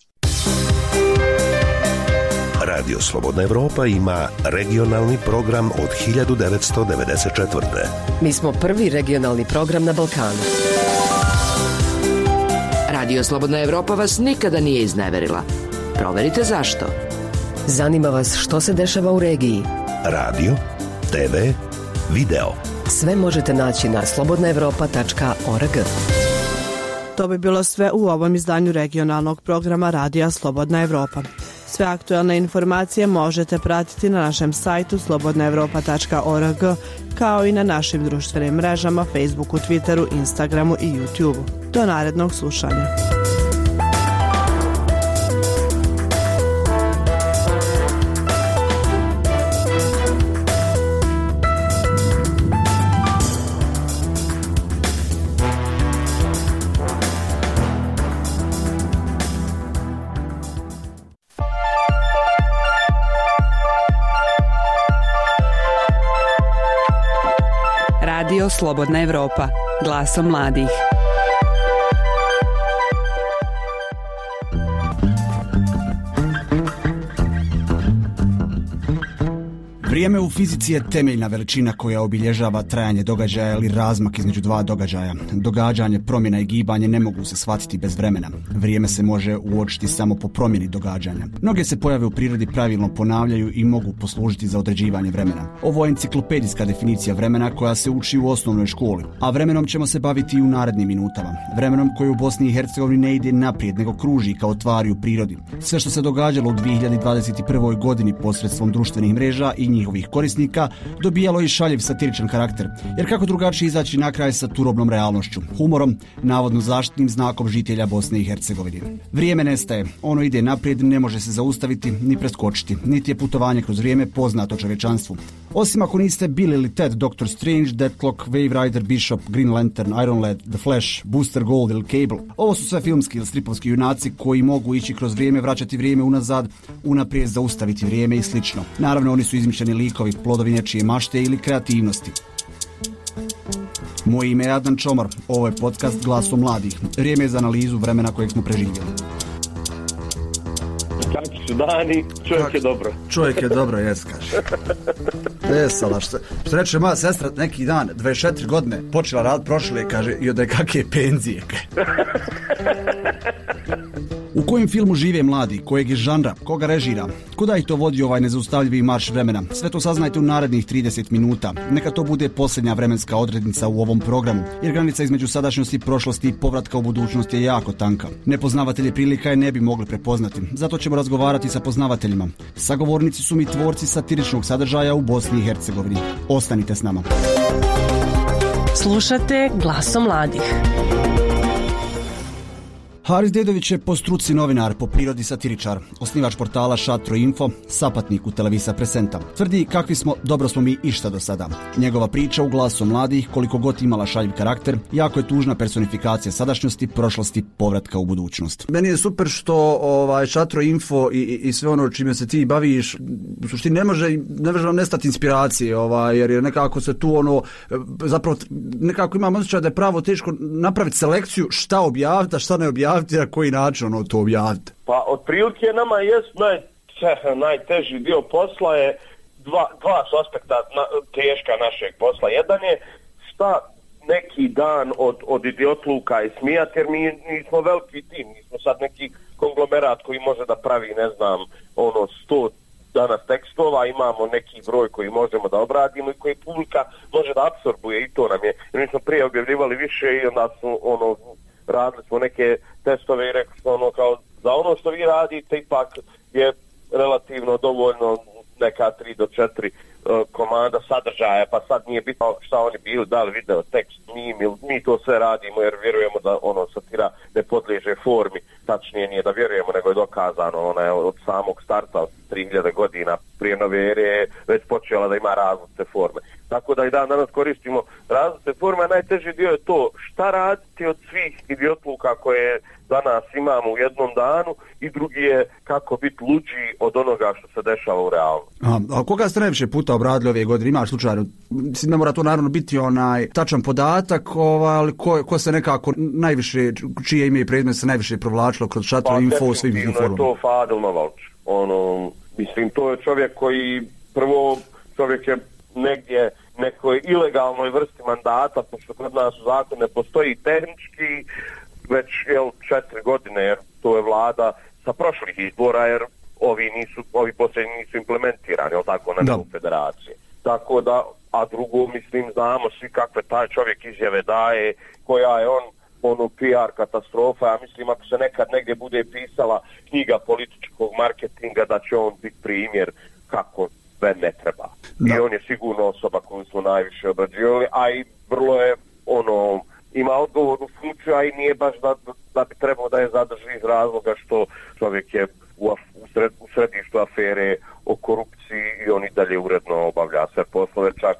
Radio Slobodna Evropa ima regionalni program od 1994. Mi smo prvi regionalni program na Balkanu. Radio Slobodna Evropa vas nikada nije izneverila. Proverite zašto. Zanima vas što se dešava u regiji. Radio, TV, video. Sve možete naći na slobodnaevropa.org. To bi bilo sve u ovom izdanju regionalnog programa Radija Slobodna Evropa. Sve aktualne informacije možete pratiti na našem sajtu slobodnaevropa.org, kao i na našim društvenim mrežama Facebooku, Twitteru, Instagramu i YouTubeu. Do narednog slušanja. Radio Slobodna Evropa, glasom mladih. Vrijeme u fizici je temeljna veličina koja obilježava trajanje događaja ili razmak između dva događaja. Događanje, promjena i gibanje ne mogu se shvatiti bez vremena. Vrijeme se može uočiti samo po promjeni događanja. Mnoge se pojave u prirodi pravilno ponavljaju i mogu poslužiti za određivanje vremena. Ovo je enciklopedijska definicija vremena koja se uči u osnovnoj školi, a vremenom ćemo se baviti i u narednim minutama. Vremenom koji u Bosni i Hercegovini ne ide naprijed, nego kruži kao tvari u prirodi. Sve što se događalo u 2021. godini posredstvom društvenih mreža i njihovih korisnika dobijalo i šaljiv satiričan karakter, jer kako drugačije izaći na kraj sa turobnom realnošću, humorom, navodno zaštitnim znakom žitelja Bosne i Hercegovine. Vrijeme nestaje, ono ide naprijed, ne može se zaustaviti ni preskočiti, niti je putovanje kroz vrijeme poznato čovječanstvu. Osim ako niste Bill ili Ted, Doctor Strange, Deathlock, Wave Rider, Bishop, Green Lantern, Iron Lad, The Flash, Booster Gold ili Cable. Ovo su sve filmski ili stripovski junaci koji mogu ići kroz vrijeme, vraćati vrijeme unazad, unaprijed zaustaviti vrijeme i slično. Naravno, oni su izmišljeni likovi, plodovi nečije mašte ili kreativnosti. Moje ime je Adnan Čomar, ovo je podcast Glasom mladih. Vrijeme je za analizu vremena kojeg smo preživjeli. Kakvi su dani, čovjek je dobro. Čovjek je dobro, jes kaže. Vesela, što reče moja sestra neki dan, 24 godine, počela rad prošle, kaže, i od kakve penzije. U kojem filmu žive mladi, kojeg je žanra, koga režira, kuda ih to vodi ovaj nezaustavljivi marš vremena? Sve to saznajte u narednih 30 minuta. Neka to bude posljednja vremenska odrednica u ovom programu, jer granica između sadašnjosti, prošlosti i povratka u budućnost je jako tanka. Nepoznavatelje prilika je ne bi mogli prepoznati, zato ćemo razgovarati sa poznavateljima. Sagovornici su mi tvorci satiričnog sadržaja u Bosni i Hercegovini. Ostanite s nama. Slušate Glasom mladih. Haris Dedović je po struci novinar, po prirodi satiričar, osnivač portala Šatro Info, sapatnik u Televisa Presenta. Tvrdi kakvi smo, dobro smo mi išta do sada. Njegova priča u Glasu mladih, koliko god imala šaljiv karakter, jako je tužna personifikacija sadašnjosti, prošlosti, povratka u budućnost. Meni je super što Šatro Info i sve ono čime se ti baviš, u suštini ne može vam nestati inspiracije, jer je nekako se tu zapravo nekako imam osjećaj da je pravo teško napraviti selekciju šta objaviti, a šta ne objaviti, na koji način to objaviti? Pa otprilike nama jest najteži dio posla je dva su aspekta teška našeg posla. Jedan je šta neki dan od idiotluka i smijati, jer mi nismo veliki tim, nismo sad neki konglomerat koji može da pravi 100 danas tekstova, imamo neki broj koji možemo da obradimo i koji publika može da apsorbuje, i to nam je. Jer mi smo prije objavljivali više i onda su radili smo neke testove i rekli smo kao za ono što vi radite ipak je relativno dovoljno neka 3 do 4 komada sadržaja, pa sad nije bitno šta oni bili, da li video, tekst, mi to sve radimo jer vjerujemo da satira ne podliježe formi, tačnije nije da vjerujemo nego je dokazano, ona je od samog starta od 3000 godina prije nove ere već počela da ima različite forme. Tako da i danas koristimo različite forme, a najteži dio je to šta raditi od svih idiotluka koje danas imamo u jednom danu i drugi je kako biti luđi od onoga što se dešava u realnosti. A koga ste najviše puta obradili ove godine? Imaš slučajno? Mislim, ne mora to naravno biti tačan podatak, ali ko se nekako najviše, čije ime i predmet se najviše provlačilo kroz Šatro Info u svim informacijama? Je to Fadil Novalč. Mislim, to je čovjek koji čovjek je negdje nekoj ilegalnoj vrsti mandata, pošto kod nas u zakonu ne postoji tehnički već 4 godine, jer to je vlada sa prošlih izbora, jer ovi posljednji nisu implementirani, tako na nivou federacije. Tako da, a drugo, mislim, znamo svi kakve taj čovjek izjave daje, koja je PR katastrofa. Ja mislim, ako se nekad negdje bude pisala knjiga političkog marketinga, da će on biti primjer kako ne treba. I on je sigurno osoba koju smo najviše obrađivali, a i vrlo je ima odgovornu funkciju, a i nije baš da bi trebao da je zadrži iz razloga što čovjek je u središtu afere o korupciji i on i dalje uredno obavlja sve poslove, čak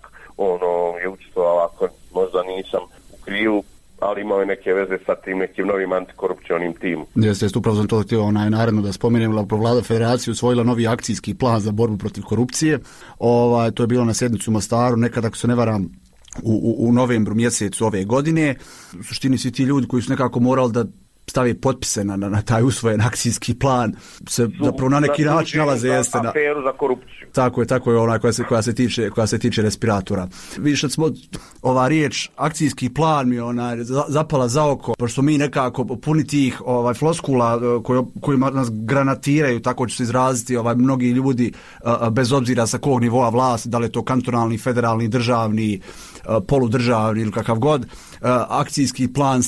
je učestvovao, ako možda nisam u krivu, ali imao je neke veze sa tim nekim novim antikorupcionim timom. Jeste, upravo sam to htio naredno da spomenem, Vlada Federacije usvojila novi akcijski plan za borbu protiv korupcije. To je bilo na sjednicu u Mostaru, nekada, ako se ne varam, u novembru mjesecu ove godine. U suštini svi ti ljudi koji su nekako morali da stavi potpise na taj usvojen akcijski plan se zapravo na neki način nalaze jeste na aferu za korupciju. Tako je ona koja se tiče respiratora. Vidiš da smo ova riječ akcijski plan mi zapala za oko, pošto mi nekako puni tih floskula kojima nas granatiraju, tako će se izraziti mnogi ljudi bez obzira sa kog nivoa vlasti, da li je to kantonalni, federalni, državni, poludržavni ili kakav god. Akcijski plan,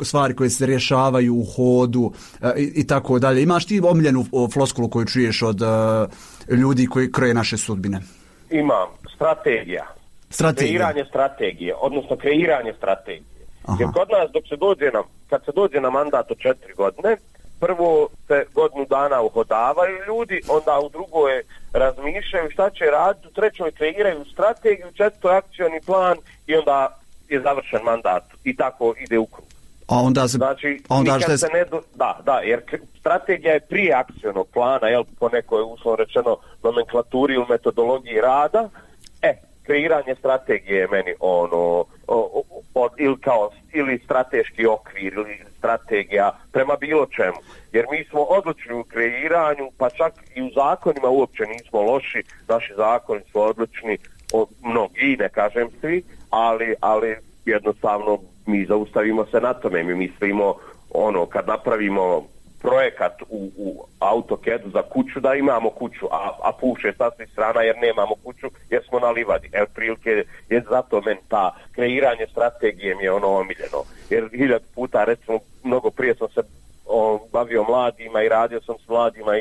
stvari koje se rješavaju u hodu i tako dalje. Imaš ti omiljenu floskulu koju čuješ od ljudi koji kroje naše sudbine? Imam. Strategija. Kreiranje strategije, odnosno kreiranje strategije. Aha. Jer kod nas kad se dođe na mandat od 4 godine, prvo se godinu dana uhodavaju ljudi, onda u drugoj razmišljaju šta će raditi, u trećoj kreiraju strategiju, u četvrtoj akcioni plan i onda je završen mandat i tako ide u krug. A onda jer strategija je prije akcionog plana, po nekoj uslovno rečeno nomenklaturi ili metodologiji rada. Kreiranje strategije je meni ili strateški okvir ili strategija prema bilo čemu. Jer mi smo odlični u kreiranju, pa čak i u zakonima uopće nismo loši. Naši zakoni su odlični, mnogi, ne kažem svi, ali jednostavno mi zaustavimo se na tome. Mi mislimo kad napravimo projekat u AutoCAD-u za kuću, da imamo kuću, a puše sa svih strana jer nemamo kuću, jer smo na livadi. Prilike je zato meni ta kreiranje strategije mi je omiljeno. Jer 1000 puta, recimo, mnogo prije sam se bavio mladima i radio sam s mladima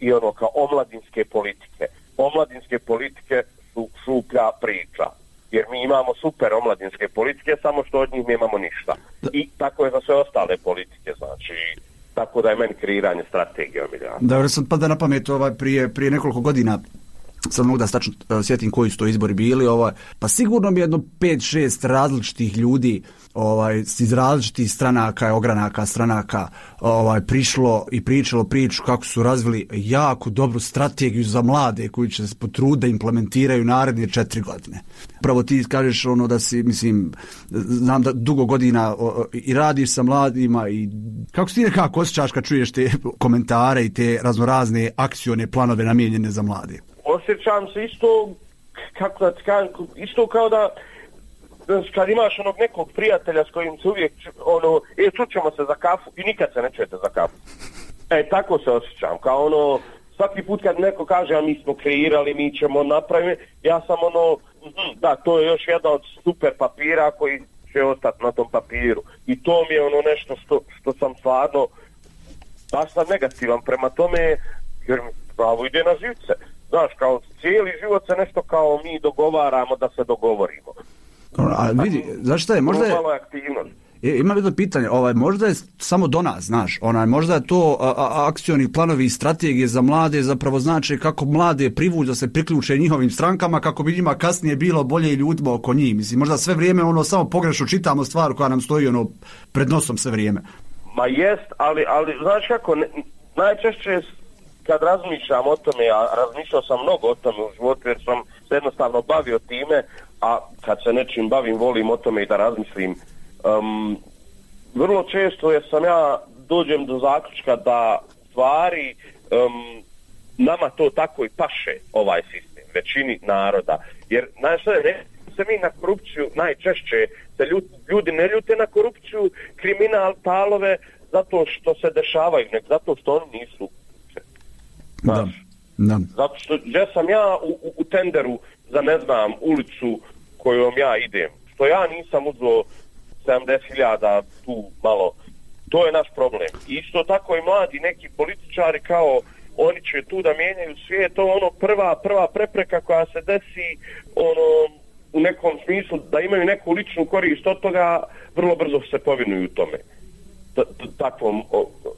i kao omladinske politike. Omladinske politike su šuplja priča. Jer mi imamo super omladinske politike, samo što od njih nemamo ništa. I tako je za sve ostale politike, znači. Tako da je meni kreiranje strategije omiljeno. Dobro, sam pada na pamet prije nekoliko godina, sad mogu da stačno sjetim koji su to izbori bili, pa sigurno mi jedno 5-6 različitih ljudi iz različitih stranaka, ogranaka stranaka prišlo i pričalo priču kako su razvili jako dobru strategiju za mlade koji će se potruditi da implementiraju naredne 4 godine. Pravo ti kažeš da si, mislim, znam da dugo godina i radiš sa mladima i kako se ti nekako osjećaš kad čuješ te komentare i te raznorazne akcione planove namijenjene za mlade? Osjećam se isto kao da kad imaš nekog prijatelja s kojim se uvijek čućemo se za kafu i nikad se ne čujete za kafu. Tako se osjećam. Kao svaki put kad neko kaže a mi smo kreirali, mi ćemo napraviti, ja sam da, to je još jedan od super papira koji će ostati na tom papiru. I to mi je nešto što sam stvarno baš sam negativan prema tome, jer mi pravo ide na živce. Znaš, kao cijeli život se nešto kao mi dogovaramo da se dogovorimo. A vidi, znaš šta je, možda je... Malo aktivnost. Imam jedno pitanje, možda je samo do nas, znaš, možda je to akcioni planovi i strategije za mlade zapravo znači kako mlade privući da se priključe njihovim strankama kako bi njima kasnije bilo bolje i ljudima oko njih. Mislim, možda sve vrijeme samo pogrešno čitamo stvar koja nam stoji pred nosom sve vrijeme. Ma jest, ali znaš kako, najčešće kad razmišljam o tome, a razmišljao sam mnogo o tome u životu jer sam se jednostavno bavio time, a kad se nečim bavim volim o tome i da razmislim. Vrlo često dođem do zaključka da stvari nama to tako i paše ovaj sistem, većini naroda. Jer se mi na korupciju najčešće se ljudi ne ljute na korupciju, kriminal, talove zato što se dešavaju, nek zato što oni nisu. Da. Zato što gdje sam ja u tenderu za ulicu kojom ja idem, što ja nisam uzeo 70.000 tu malo, to je naš problem. Isto tako i mladi neki političari kao oni će tu da mijenjaju svijet, to prva prepreka koja se desi u nekom smislu da imaju neku ličnu korist od toga, vrlo brzo se povinuju tome takvom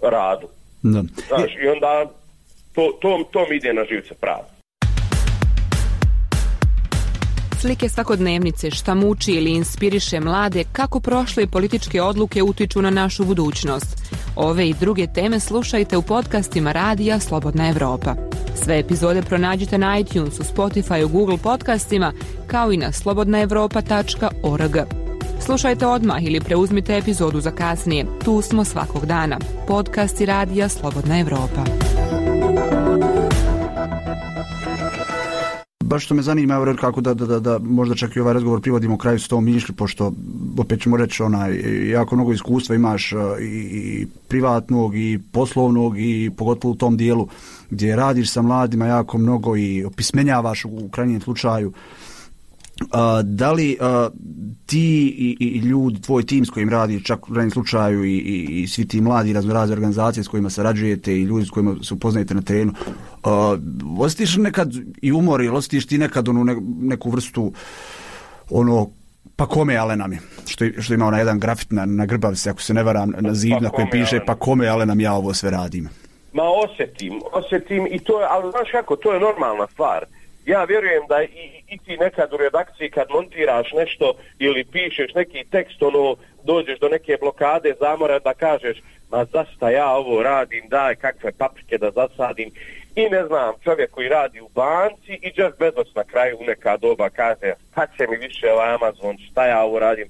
radu. Da. Znaš, i onda to mi ide na živce pravo. Slike svakodnevnice, šta muči ili inspiriše mlade, kako prošle političke odluke utiču na našu budućnost. Ove i druge teme slušajte u podcastima Radija Slobodna Evropa. Sve epizode pronađite na iTunesu, Spotifyu, Google podcastima, kao i na slobodnaevropa.org. Slušajte odmah ili preuzmite epizodu za kasnije. Tu smo svakog dana. Podcast i radija Slobodna Evropa. Baš što me zanima, kako da možda čak i ovaj razgovor privodimo kraju s tom mišlju, pošto opet ćemo reći, jako mnogo iskustva imaš i privatnog i poslovnog i pogotovo u tom dijelu gdje radiš sa mladima jako mnogo i opismenjavaš u krajnjem slučaju. Da li ti i ljudi, tvoj tim s kojim radiš, čak u krajnjem slučaju i svi ti mladi razne organizacije s kojima sarađujete i ljudi s kojima se upoznajete na terenu, osjetiš nekad i umor ili osjetiš ti nekad neku vrstu pa kome ale nam je, što ima jedan grafit na Grbavci, ako se ne varam, na zid na kojem piše pa kome ale nam ja ovo sve radim. Ma osjetim i to je, ali znaš kako, to je normalna stvar. Ja vjerujem da i ti nekad u redakciji kad montiraš nešto ili pišeš neki tekst, dođeš do neke blokade, zamora da kažeš, ma zašto ja ovo radim, daj kakve paprike da zasadim. I ne znam, čovjek koji radi u banci i Jeff Bezos na kraju u neka doba kaže, kad će mi više Amazon, šta ja ovo radim.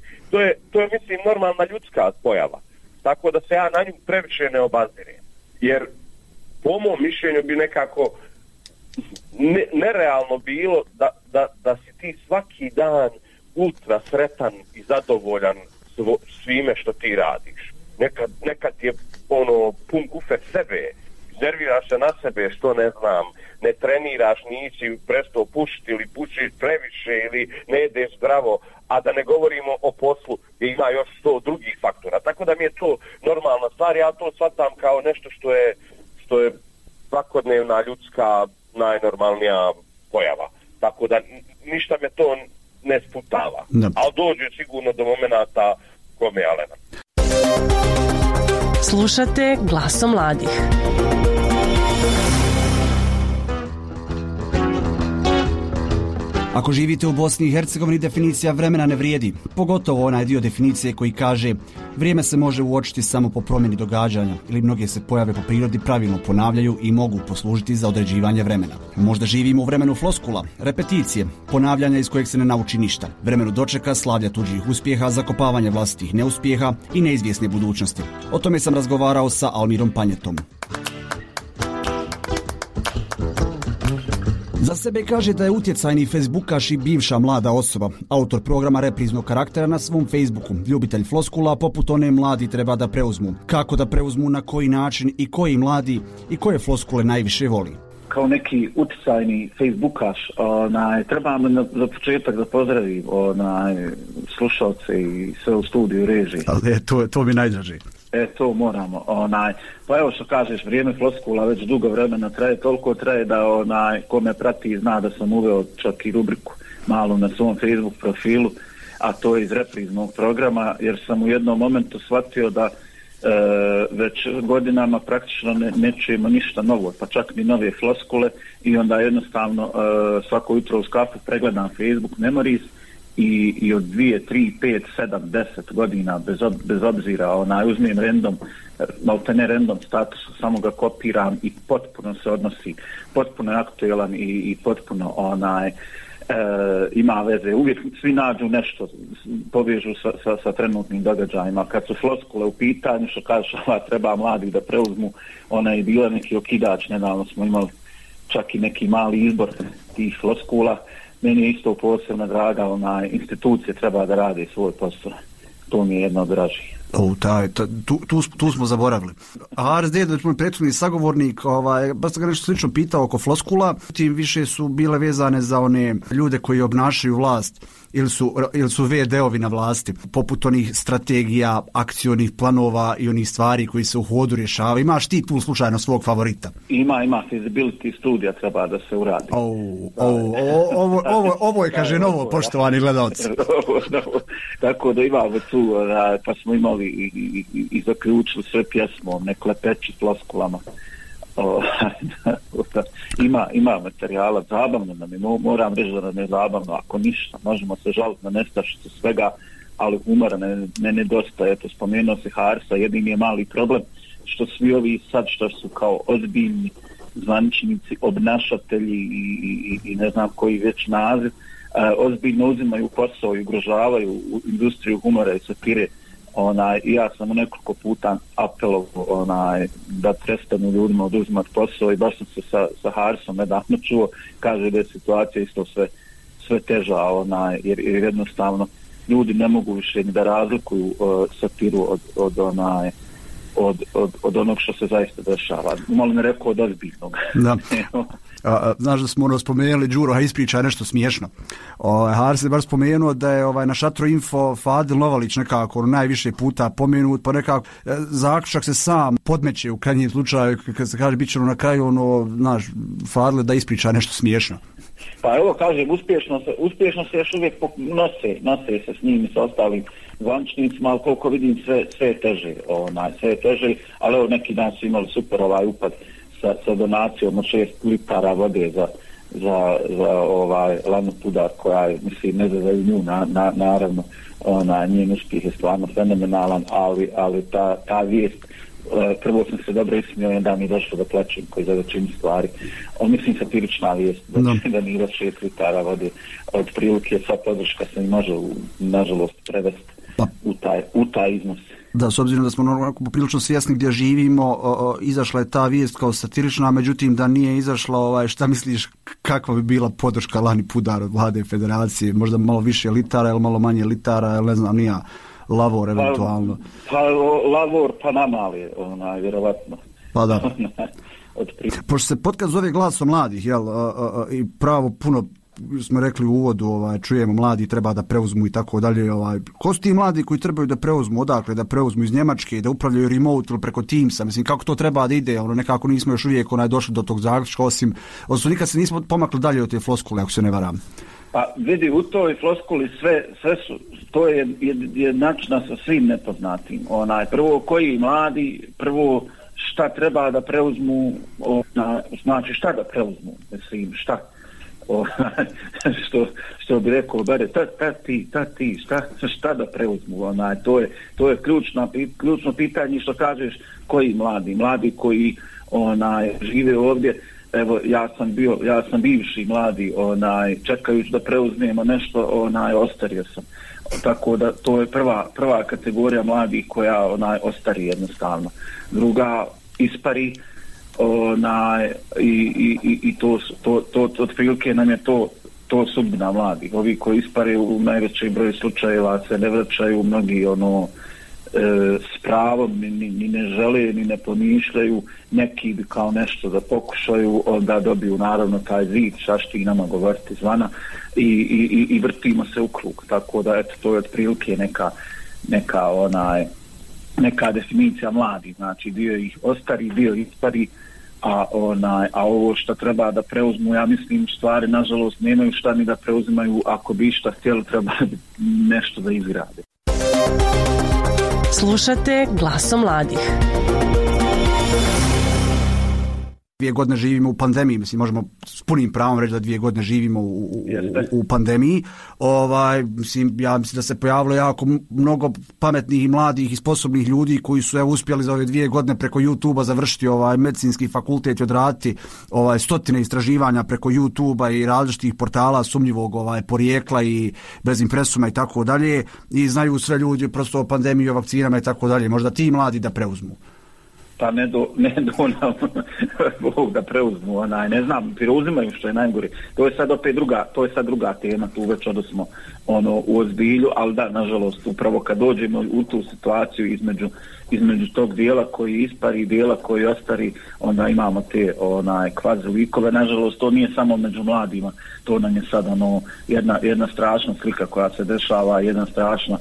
To je mislim normalna ljudska pojava. Tako da se ja na nju previše ne obazirem. Jer po mom mišljenju bi nekako nerealno bilo da si ti svaki dan ultra sretan i zadovoljan svime što ti radiš. Nekad je pun kufer sebe, nerviraš se na sebe što ne znam, ne treniraš, nisi prestao pušiti ili pušiš previše ili ne jedeš zdravo, a da ne govorimo o poslu gdje ima još 100 drugih faktora. Tako da mi je to normalna stvar, ja to shvatam kao nešto što je svakodnevna ljudska najnormalnija pojava. Tako da ništa me to ne sputava. Ali dođe sigurno do momenata kome je Alena. Slušate Glasom mladih. Ako živite u Bosni i Hercegovini, definicija vremena ne vrijedi. Pogotovo onaj dio definicije koji kaže vrijeme se može uočiti samo po promjeni događanja ili mnoge se pojave po prirodi pravilno ponavljaju i mogu poslužiti za određivanje vremena. Možda živimo u vremenu floskula, repeticije, ponavljanja iz kojeg se ne nauči ništa, vremenu dočeka, slavlja tuđih uspjeha, zakopavanja vlastitih neuspjeha i neizvjesne budućnosti. O tome sam razgovarao sa Almirom Panjetom. Za sebe kaže da je utjecajni facebookaš i bivša mlada osoba, autor programa repriznog karaktera na svom Facebooku, ljubitelj floskula poput one mladi treba da preuzmu. Kako da preuzmu, na koji način i koji mladi i koje floskule najviše voli. Kao neki utjecajni facebookaš, trebam za početak da pozdravim slušalce i sve u studiju režiji. Ali to mi najdraži. To moramo. Pa evo što kažeš, vrijeme floskula već dugo vremena traje, toliko traje da ko me prati zna da sam uveo čak i rubriku malo na svom Facebook profilu, a to je iz repriznog programa, jer sam u jednom momentu shvatio da već godinama praktično ne čujemo ništa novo, pa čak ni nove floskule, i onda jednostavno svako jutro uz kafu pregledam Facebook Memories i od 2, 3, 5, 7, 10 godina bez obzira uzmem random, maltene random status, samo ga kopiram i potpuno se odnosi, potpuno je aktuelan i potpuno ima veze. Uvijek svi nađu nešto, povežu sa trenutnim događajima. Kad su floskule u pitanju, što kažeš, treba mladih da preuzmu, ona je bila neki okidač, nedavno smo imali čak i neki mali izbor tih floskula. Meni je isto posebno draga, institucije treba da rade svoj posao. To mi je jedno od dražih. Tu smo zaboravili. Haris Dedović, moj prethodni sagovornik, baš sam ga nešto slično pitao oko floskula, tim više su bile vezane za one ljude koji obnašaju vlast ili su VD-ovi na vlasti, poput onih strategija, akcionih planova i onih stvari koji se u hodu rješavaju. Imaš ti tu slučajno svog favorita? Ima feasibility studija treba da se uradi. Ovo je, kaže, novo, poštovani gledalci. Tako da imamo tu, pa smo imali i zaključili sve pjesmom, ne klepeći floskulama. Ima materijala, zabavno nam je, moram reći da nam je zabavno, ako ništa, možemo se žaliti na nestašicu svega, ali humora ne nedostaje. Eto, spomenuo se Harisa, jedini je mali problem što svi ovi sad što su kao ozbiljni zvaničnici, obnašatelji i ne znam koji već naziv, ozbiljno uzimaju posao i ugrožavaju industriju humora i satire. I ja sam nekoliko puta apelovao da prestanu ljudima oduzimati posao i baš sam se sa Harisom nedavno čuo, kaže da je situacija isto sve teža, jer jednostavno ljudi ne mogu više ni da razlikuju satiru od onog što se zaista dešava. Molim rekao od ozbiljnog. Da. Znaš da smo spomenuli Đuro, ispričaj nešto smiješno. Haris je bar spomenuo da je na Šatro Info Fadil Novalić nekako najviše puta pomenut, pa nekako zaključak se sam podmeće u krajnjem slučaju, kad se kaže bit će na kraju znaš, Fadil da ispriča nešto smiješno. Pa evo kažem, uspješno se još uvijek nose se s njim i sa ostalim zvaničnicima, ali koliko vidim sve je teže, ali evo neki dan su imali super upad sa donacijom od 6 litara vode za Lanu Pudar, koja je, mislim, ne za nju, naravno, njen uspjeh je stvarno fenomenalan, ali ta vijest, prvo sam se dobro ismio, da mi je došlo da plaćem koji za većinu stvari. Mislim, satirična vijest, da nije 6 litara vode, od prilike sva podrška se može, nažalost, prevesti u taj iznos. Da, s obzirom da smo poprilično svjesni gdje živimo, izašla je ta vijest kao satirična, međutim da nije izašla, šta misliš kakva bi bila podrška Lani Pudar od Vlade Federacije? Možda malo više litara ili malo manje litara, ili ne znam, nije lavor eventualno. Pa lavor pa namali, vjerovatno. Pa da. Pošto se podcast zove Glasom mladih, i pravo puno smo rekli u uvodu, čujemo mladi treba da preuzmu i tako dalje. Ko su ti mladi koji trebaju da preuzmu, odakle da preuzmu, iz Njemačke, da upravljaju remote ili preko Teamsa? Mislim, kako to treba da ide? Nekako nismo još uvijek došli do tog zaključka, osim nikad se nismo pomakli dalje od te floskule, ako se ne varam. Pa vidi, u toj floskuli sve su, to je jednačna sa svim nepoznatim. Prvo koji mladi, prvo šta treba da preuzmu, znači šta da preuzmu, mislim, šta? Što bi rekao bare, ta ti, šta da preuzmu, to je ključno pitanje. Što kažeš, koji mladi koji žive ovdje. Evo, ja sam bivši mladi, čekajući da preuzmemo nešto, ostario sam. Tako da to je prva kategorija mladih koja ostari jednostavno. Druga ispari, i to otprilike nam je to sudbina mladih. Ovi koji ispare u najvećoj broju slučajeva se ne vraćaju, mnogi s pravom ni ne žele, ni ne pomišljaju, neki bi kao nešto da pokušaju, onda dobiju naravno taj zid, šašti nama govoriti zvana i vrtimo se u krug. Tako da eto, to je otprilike neka definicija mladih, znači dio ih ostari, dio ispari, a ovo što treba da preuzmu, ja mislim, stvari nažalost nemaju šta ni da preuzimaju, ako bi šta htjeli treba nešto da izgrade. Slušate Glasom mladih. 2 godine živimo u pandemiji, mislim, možemo s punim pravom reći da 2 godine živimo u pandemiji. Mislim, ja mislim da se pojavilo jako mnogo pametnih i mladih i sposobnih ljudi koji su uspjeli za ove 2 godine preko YouTube-a završiti medicinski fakultet i odraditi stotine istraživanja preko YouTube-a i različitih portala sumnjivog porijekla i bez impresuma i tako dalje, i znaju sve ljudi prosto o pandemiji, o vakcinama i tako dalje. Možda ti mladi da preuzmu. Pa ne do nam Bog da preuzmu, ne znam, preuzimaju, što je najgore. To je sad opet druga tema, tu već odnosno u ozbilju, ali da, nažalost, upravo kad dođemo u tu situaciju između tog dijela koji ispari i dijela koji ostari, onda imamo te kvazi likove. Nažalost, to nije samo među mladima, to nam je sad jedna strašna slika koja se dešava, jedna strašna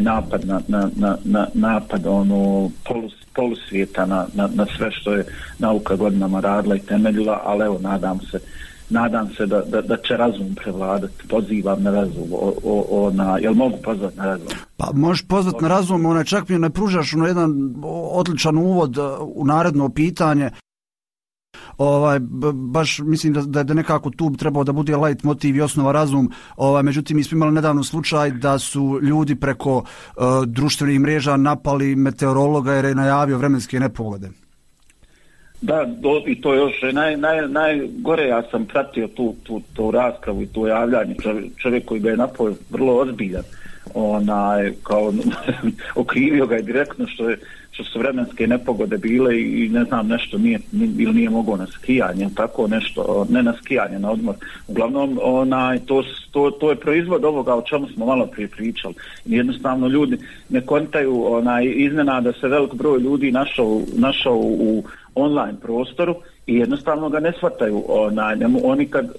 napad napad polusvijeta na sve što je nauka godinama radila i temeljila, ali evo, nadam se da će razum prevladati. Pozivam na razum. Jel mogu pozvati na razum? Pa možeš pozvati na razum, čak mi ne pružaš jedan odličan uvod u naredno pitanje. Baš mislim da nekako tu trebao da bude light motiv i osnova razum. Međutim, mi smo imali nedavno slučaj da su ljudi preko društvenih mreža napali meteorologa jer je najavio vremenske nepogode. Da, i to još najgore, ja sam pratio tu raspravu i tu javljanje, čovjek koji ga je napao vrlo ozbiljan, kao okrivio ga je direktno što su vremenske nepogode bile i ne znam nešto nije mogao na skijanje, tako nešto, ne na skijanje, na odmor. Uglavnom, to je proizvod ovoga o čemu smo malo prije pričali. Jednostavno ljudi ne kontaju, iznenada se velik broj ljudi našao u online prostoru i jednostavno ga ne shvataju. Oni kad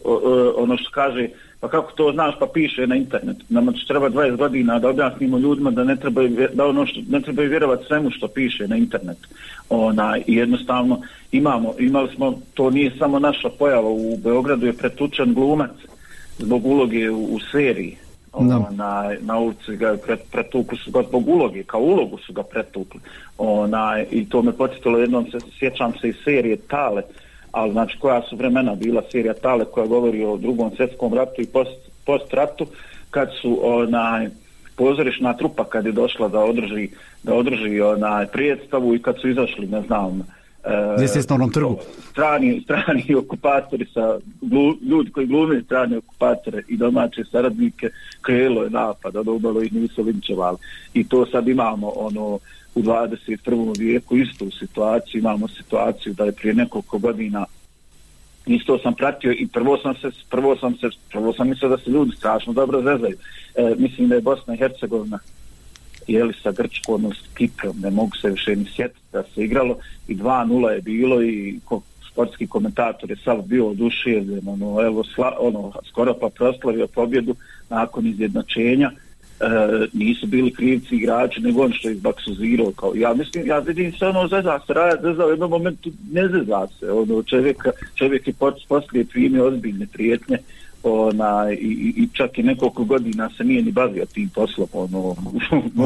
ono što kaže, pa kako to znaš, pa piše na internetu. Nama će treba 20 godina da objasnimo ljudima da ne trebaju vjerovati svemu što piše na internetu. I jednostavno imali smo, to nije samo naša pojava, u Beogradu je pretučen glumac zbog uloge u seriji. Na ulici ga pretukli su ga zbog uloge, kao ulogu su ga pretukli. I to me podsjetilo jednom, sjećam se iz serije Tale, ali znači koja su vremena bila serija Tale koja govori o Drugom svjetskom ratu i post-ratu, kad su pozorišna trupa kad je došla da održi predstavu i kad su izašli, ne znam, strani okupatori ljudi koji glume strane okupatore i domaće saradnike, krenulo je napad, odobalo ih nisu linčevali. I to sad imamo u 21. vijeku istu situaciju, imamo situaciju da je prije nekoliko godina isto sam pratio i prvo sam mislio da se ljudi strašno dobro zezaju. Mislim da je Bosna i Hercegovina sa Grčkom, s Kiprom, ne mogu se više ni sjetiti da se igralo i 2-0 je bilo i sportski komentator je sav bio oduševljen, skoro pa proslavio pobjedu nakon izjednačenja. Nisu bili krivci igrači, nego on što je izbaksuzirao. Ja vidim se zeza se, zeza u jednom momentu ne zeza se. Čovjek je poslije primio ozbiljne prijetnje i čak i nekoliko godina se nije ni bavio tim poslom.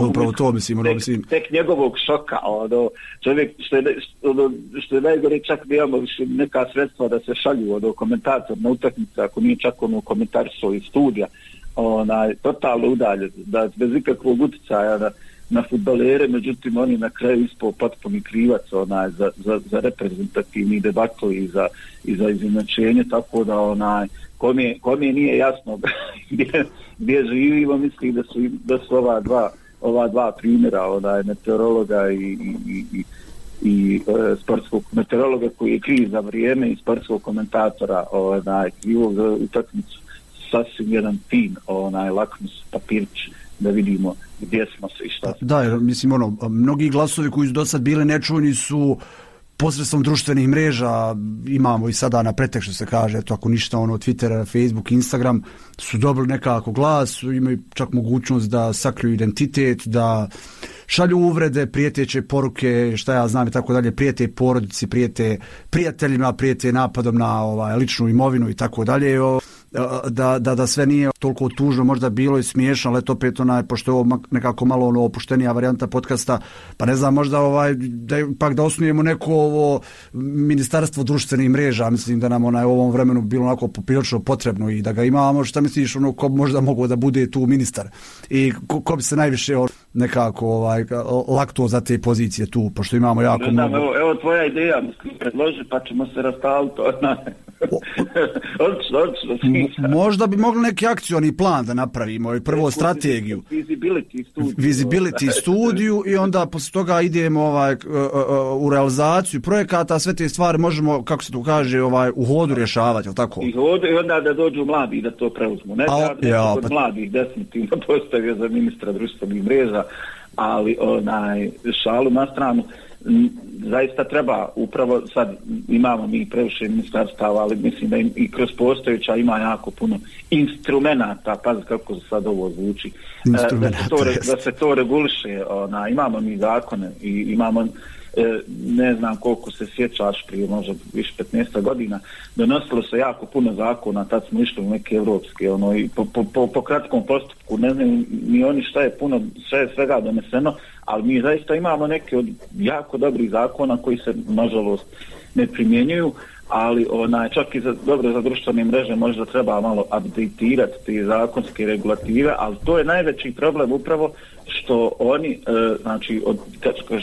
Upravo to mislim. Tek njegovog šoka. Čovjek, što je najgore, čak nemamo više neka sredstva da se šalju komentator na utakmice, ako nije čak komentar iz studija. Totalno udalje, da bez ikakvog utjecaja na fudbalere, međutim oni na kraju ispao potpuni krivac za reprezentativni debakl i za izjednačenje, tako da kome nije jasno gdje živimo, mislim da su ova dva primjera, meteorologa i sportskog meteorologa koji je kriv za vrijeme i sportskog komentatora krivog za utakmicu, sasvim jedan fin lakmus papirć da vidimo gdje smo se i šta. Da, jer mislim mnogi glasovi koji su do sad bili nečujni su posredstvom društvenih mreža, imamo i sada na pretek što se kaže, eto ako ništa Twitter, Facebook, Instagram, su dobili nekako glas, imaju čak mogućnost da sakriju identitet, da šalju uvrede, prijeteće poruke, šta ja znam i tako dalje, prijete porodici, prijete prijateljima, prijete napadom na ličnu imovinu i tako dalje. Da sve nije toliko tužno, možda bilo i smiješno, ali eto opet pošto je ovo nekako malo opuštenija varijanta podcasta, pa ne znam, možda da osnujemo neko ovo ministarstvo društvenih mreža, mislim da nam u ovom vremenu bilo onako poprilično potrebno i da ga imamo. Šta misliš, ko možda mogao da bude tu ministar i ko bi se najviše nekako lakto za te pozicije tu, pošto imamo jako mnogo. Evo tvoja ideja, predloži pa ćemo se rastaviti. Možda bi mogli neki akcioni plan da napravimo i prvo strategiju. Visibility studiju i onda posle toga idemo u realizaciju projekata, sve te stvari možemo, kako se to kaže, u hodu rješavati, je li tako? I onda da dođu mladi da to preuzmu. Ne da od mladih definitivno postavio za ministra društvenih mreža, ali šalu na stranu. Zaista treba, upravo sad imamo mi previše ministarstava, ali mislim da i kroz postojeća ima jako puno instrumenata, pazi kako sad ovo zvuči, da se to reguliše. Imamo mi zakone i imamo, ne znam koliko se sjećaš, prije možda više 15 godina donosilo se jako puno zakona, tad smo išli u neke evropske i po kratkom postupku, ne znam ni oni šta je puno, sve je svega doneseno, ali mi zaista imamo neke od jako dobrih zakona koji se nažalost ne primjenjuju, ali čak i za društvene mreže možda treba malo updateirati te zakonske regulative, ali to je najveći problem upravo što oni, znači,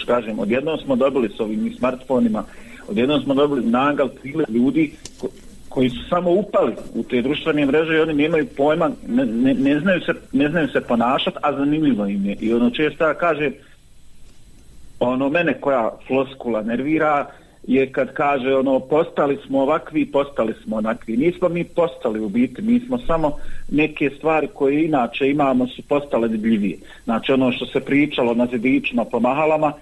kažem, odjednom smo dobili s ovim smartfonima Odjednom smo dobili nagal priljev ljudi koji su samo upali u te društvene mreže i oni nemaju pojma, ne znaju se ponašati, a zanimljivo im je. I ono često ja kažem, mene koja floskula nervira je kad kaže postali smo ovakvi, postali smo onakvi. Nismo mi postali u biti, mi smo samo neke stvari koje inače imamo su postale debljivije. Znači ono što se pričalo na zidićima po mahalama,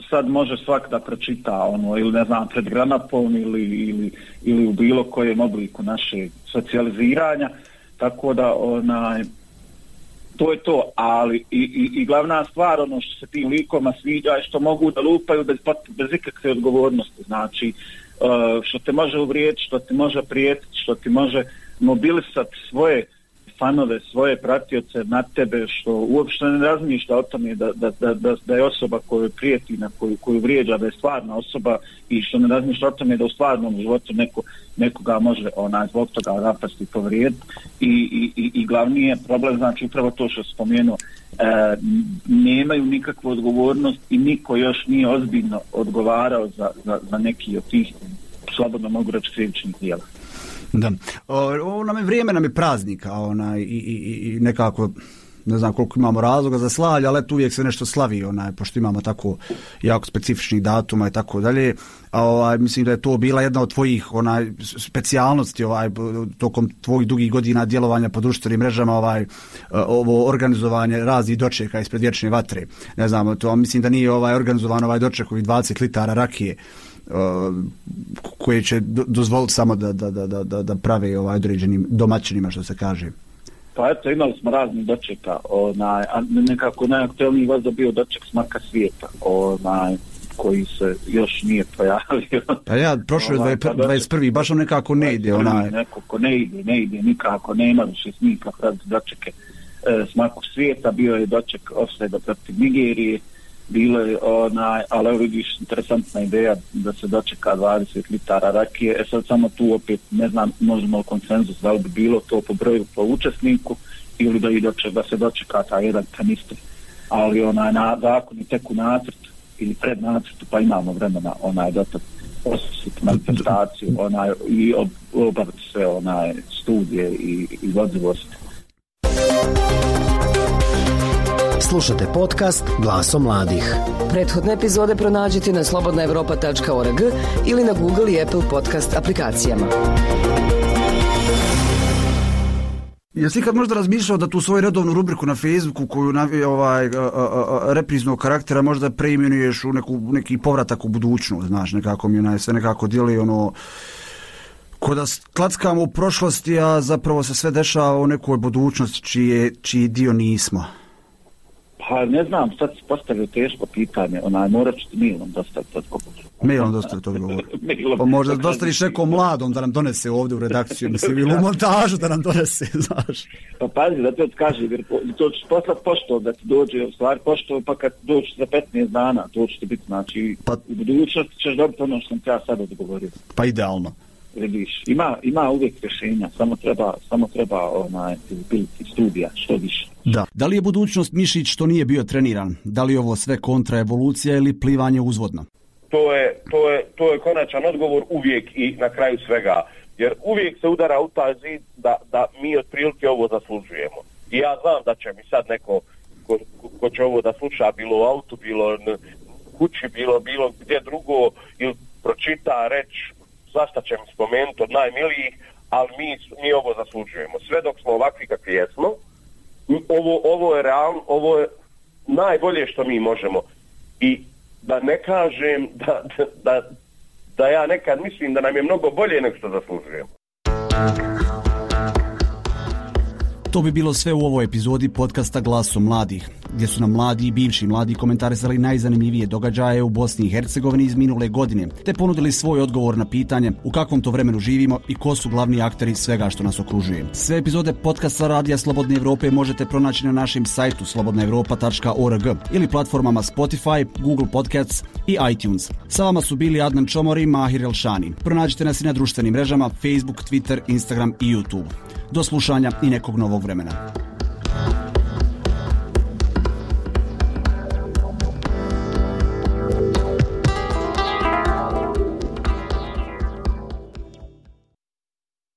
sad može svak da pročita ili ne znam pred granapom ili u bilo kojem obliku naše socijaliziranja, tako da to je to, ali i glavna stvar što se tim likoma sviđa je što mogu da lupaju bez ikakve odgovornosti, znači što te može uvrijediti, što ti može prijetiti, što ti može mobilisati svoje fanove, svoje pratioce na tebe, što uopšte ne razmišlja o tome da je osoba koju prijeti, na koju vrijeđa, da je stvarna osoba i što ne razmišlja o tome da u stvarnom životu nekoga može zbog toga napasti i povrijediti i glavni je problem, znači upravo to što spomenuo, nemaju nikakvu odgovornost i niko još nije ozbiljno odgovarao za neki od tih, slobodno mogu reći, krivičnih djela. Da. Vrijeme nam je praznika i nekako ne znam koliko imamo razloga za slavlje, ali uvijek se nešto slavi, pošto imamo tako jako specifičnih datuma i tako dalje. Mislim da je to bila jedna od tvojih specijalnosti tokom tvojih dugih godina djelovanja po društvenim mrežama, ovo organizovanje raznih dočeka ispred vječne vatre. Ne znam, to mislim da nije organizovan doček ovih 20 litara rakije koje će dozvoliti samo da prave određenim domaćinima, što se kaže. Pa eto, imali smo raznih dočeka, a nekako najaktuelniji vazda bio doček Smaka svijeta, koji se još nije pojavio. Pa ja, prošlo je 21. baš on nekako ne ide. Nekako ne ide, nikako nema više nikak dočeke Smakog svijeta, bio je doček ofsajda protiv Nigerije, bilo je ali evo vidiš, interesantna ideja da se dočeka 20 litara rakije. Sad samo tu opet ne znam, možemo konsenzus da li bi bilo to po broju po učesniku ili da se dočeka taj jedan kanister, ali na zakon i tek u nacrtu ili pred nacrtu, pa imamo vremena dotad osjetiti manifestaciju i obaviti sve studije i vodzivosti. Slušate podcast Glasom mladih. Prethodne epizode pronađite na slobodnaevropa.org ili na Google i Apple podcast aplikacijama. Jesi ikad možda razmišljao da tu svoju redovnu rubriku na Facebooku koju repriznog karaktera možda preimenuješ u neki povratak u budućnost, znaš, nekako mi sve nekako dijeli ko da klackamo u prošlosti, a zapravo se sve dešava u nekoj budućnosti čiji dio nismo. Pa ne znam, sad si postavio teško pitanje, morat ću ti mailom dostaviti odgovor. Mailom dostaviti odgovor. Pa možda dostaviš nekom mladom da nam donese ovdje u redakciju, mislim, ili u montažu da nam donese, znaš. Pa pazi, da ti odkaži, jer to ćeš poslati pošto da ti dođe, u stvari pošto, pa kad dođeš za 15 dana, to će ti biti, znači, u budućnosti ćeš dobiti ono što sam ja sad odgovorio. Pa idealno. Vidiš, ima uvijek rješenja, samo treba biti studija, što više. Da. Da li je budućnost mišić što nije bio treniran? Da li je ovo sve kontraevolucija ili plivanje uzvodno? To je konačan odgovor uvijek i na kraju svega. Jer uvijek se udara u taj zid da mi otprilike ovo zaslužujemo. I ja znam da će mi sad neko ko će ovo da sluša, bilo u autu, bilo kući, bilo gdje drugo, ili pročita, reći, svašta će mi spomenuti od najmilijih, ali mi ovo zaslužujemo. Sve dok smo ovakvi kakvi jesmo, ovo je realno, ovo je najbolje što mi možemo. I da ne kažem da ja nekad mislim da nam je mnogo bolje nego što zaslužujemo. To bi bilo sve u ovoj epizodi podcasta Glasom mladih, gdje su nam mladi i bivši mladi komentarisali najzanimljivije događaje u Bosni i Hercegovini iz minule godine, te ponudili svoj odgovor na pitanje u kakvom to vremenu živimo i ko su glavni akteri svega što nas okružuje. Sve epizode podcasta Radija Slobodne Evrope možete pronaći na našem sajtu slobodnaevropa.org ili platformama Spotify, Google Podcasts i iTunes. Sa vama su bili Adnan Čomor i Mahir Elšani. Pronađite nas i na društvenim mrežama Facebook, Twitter, Instagram i YouTube. Do slušanja i nekog novog vremena.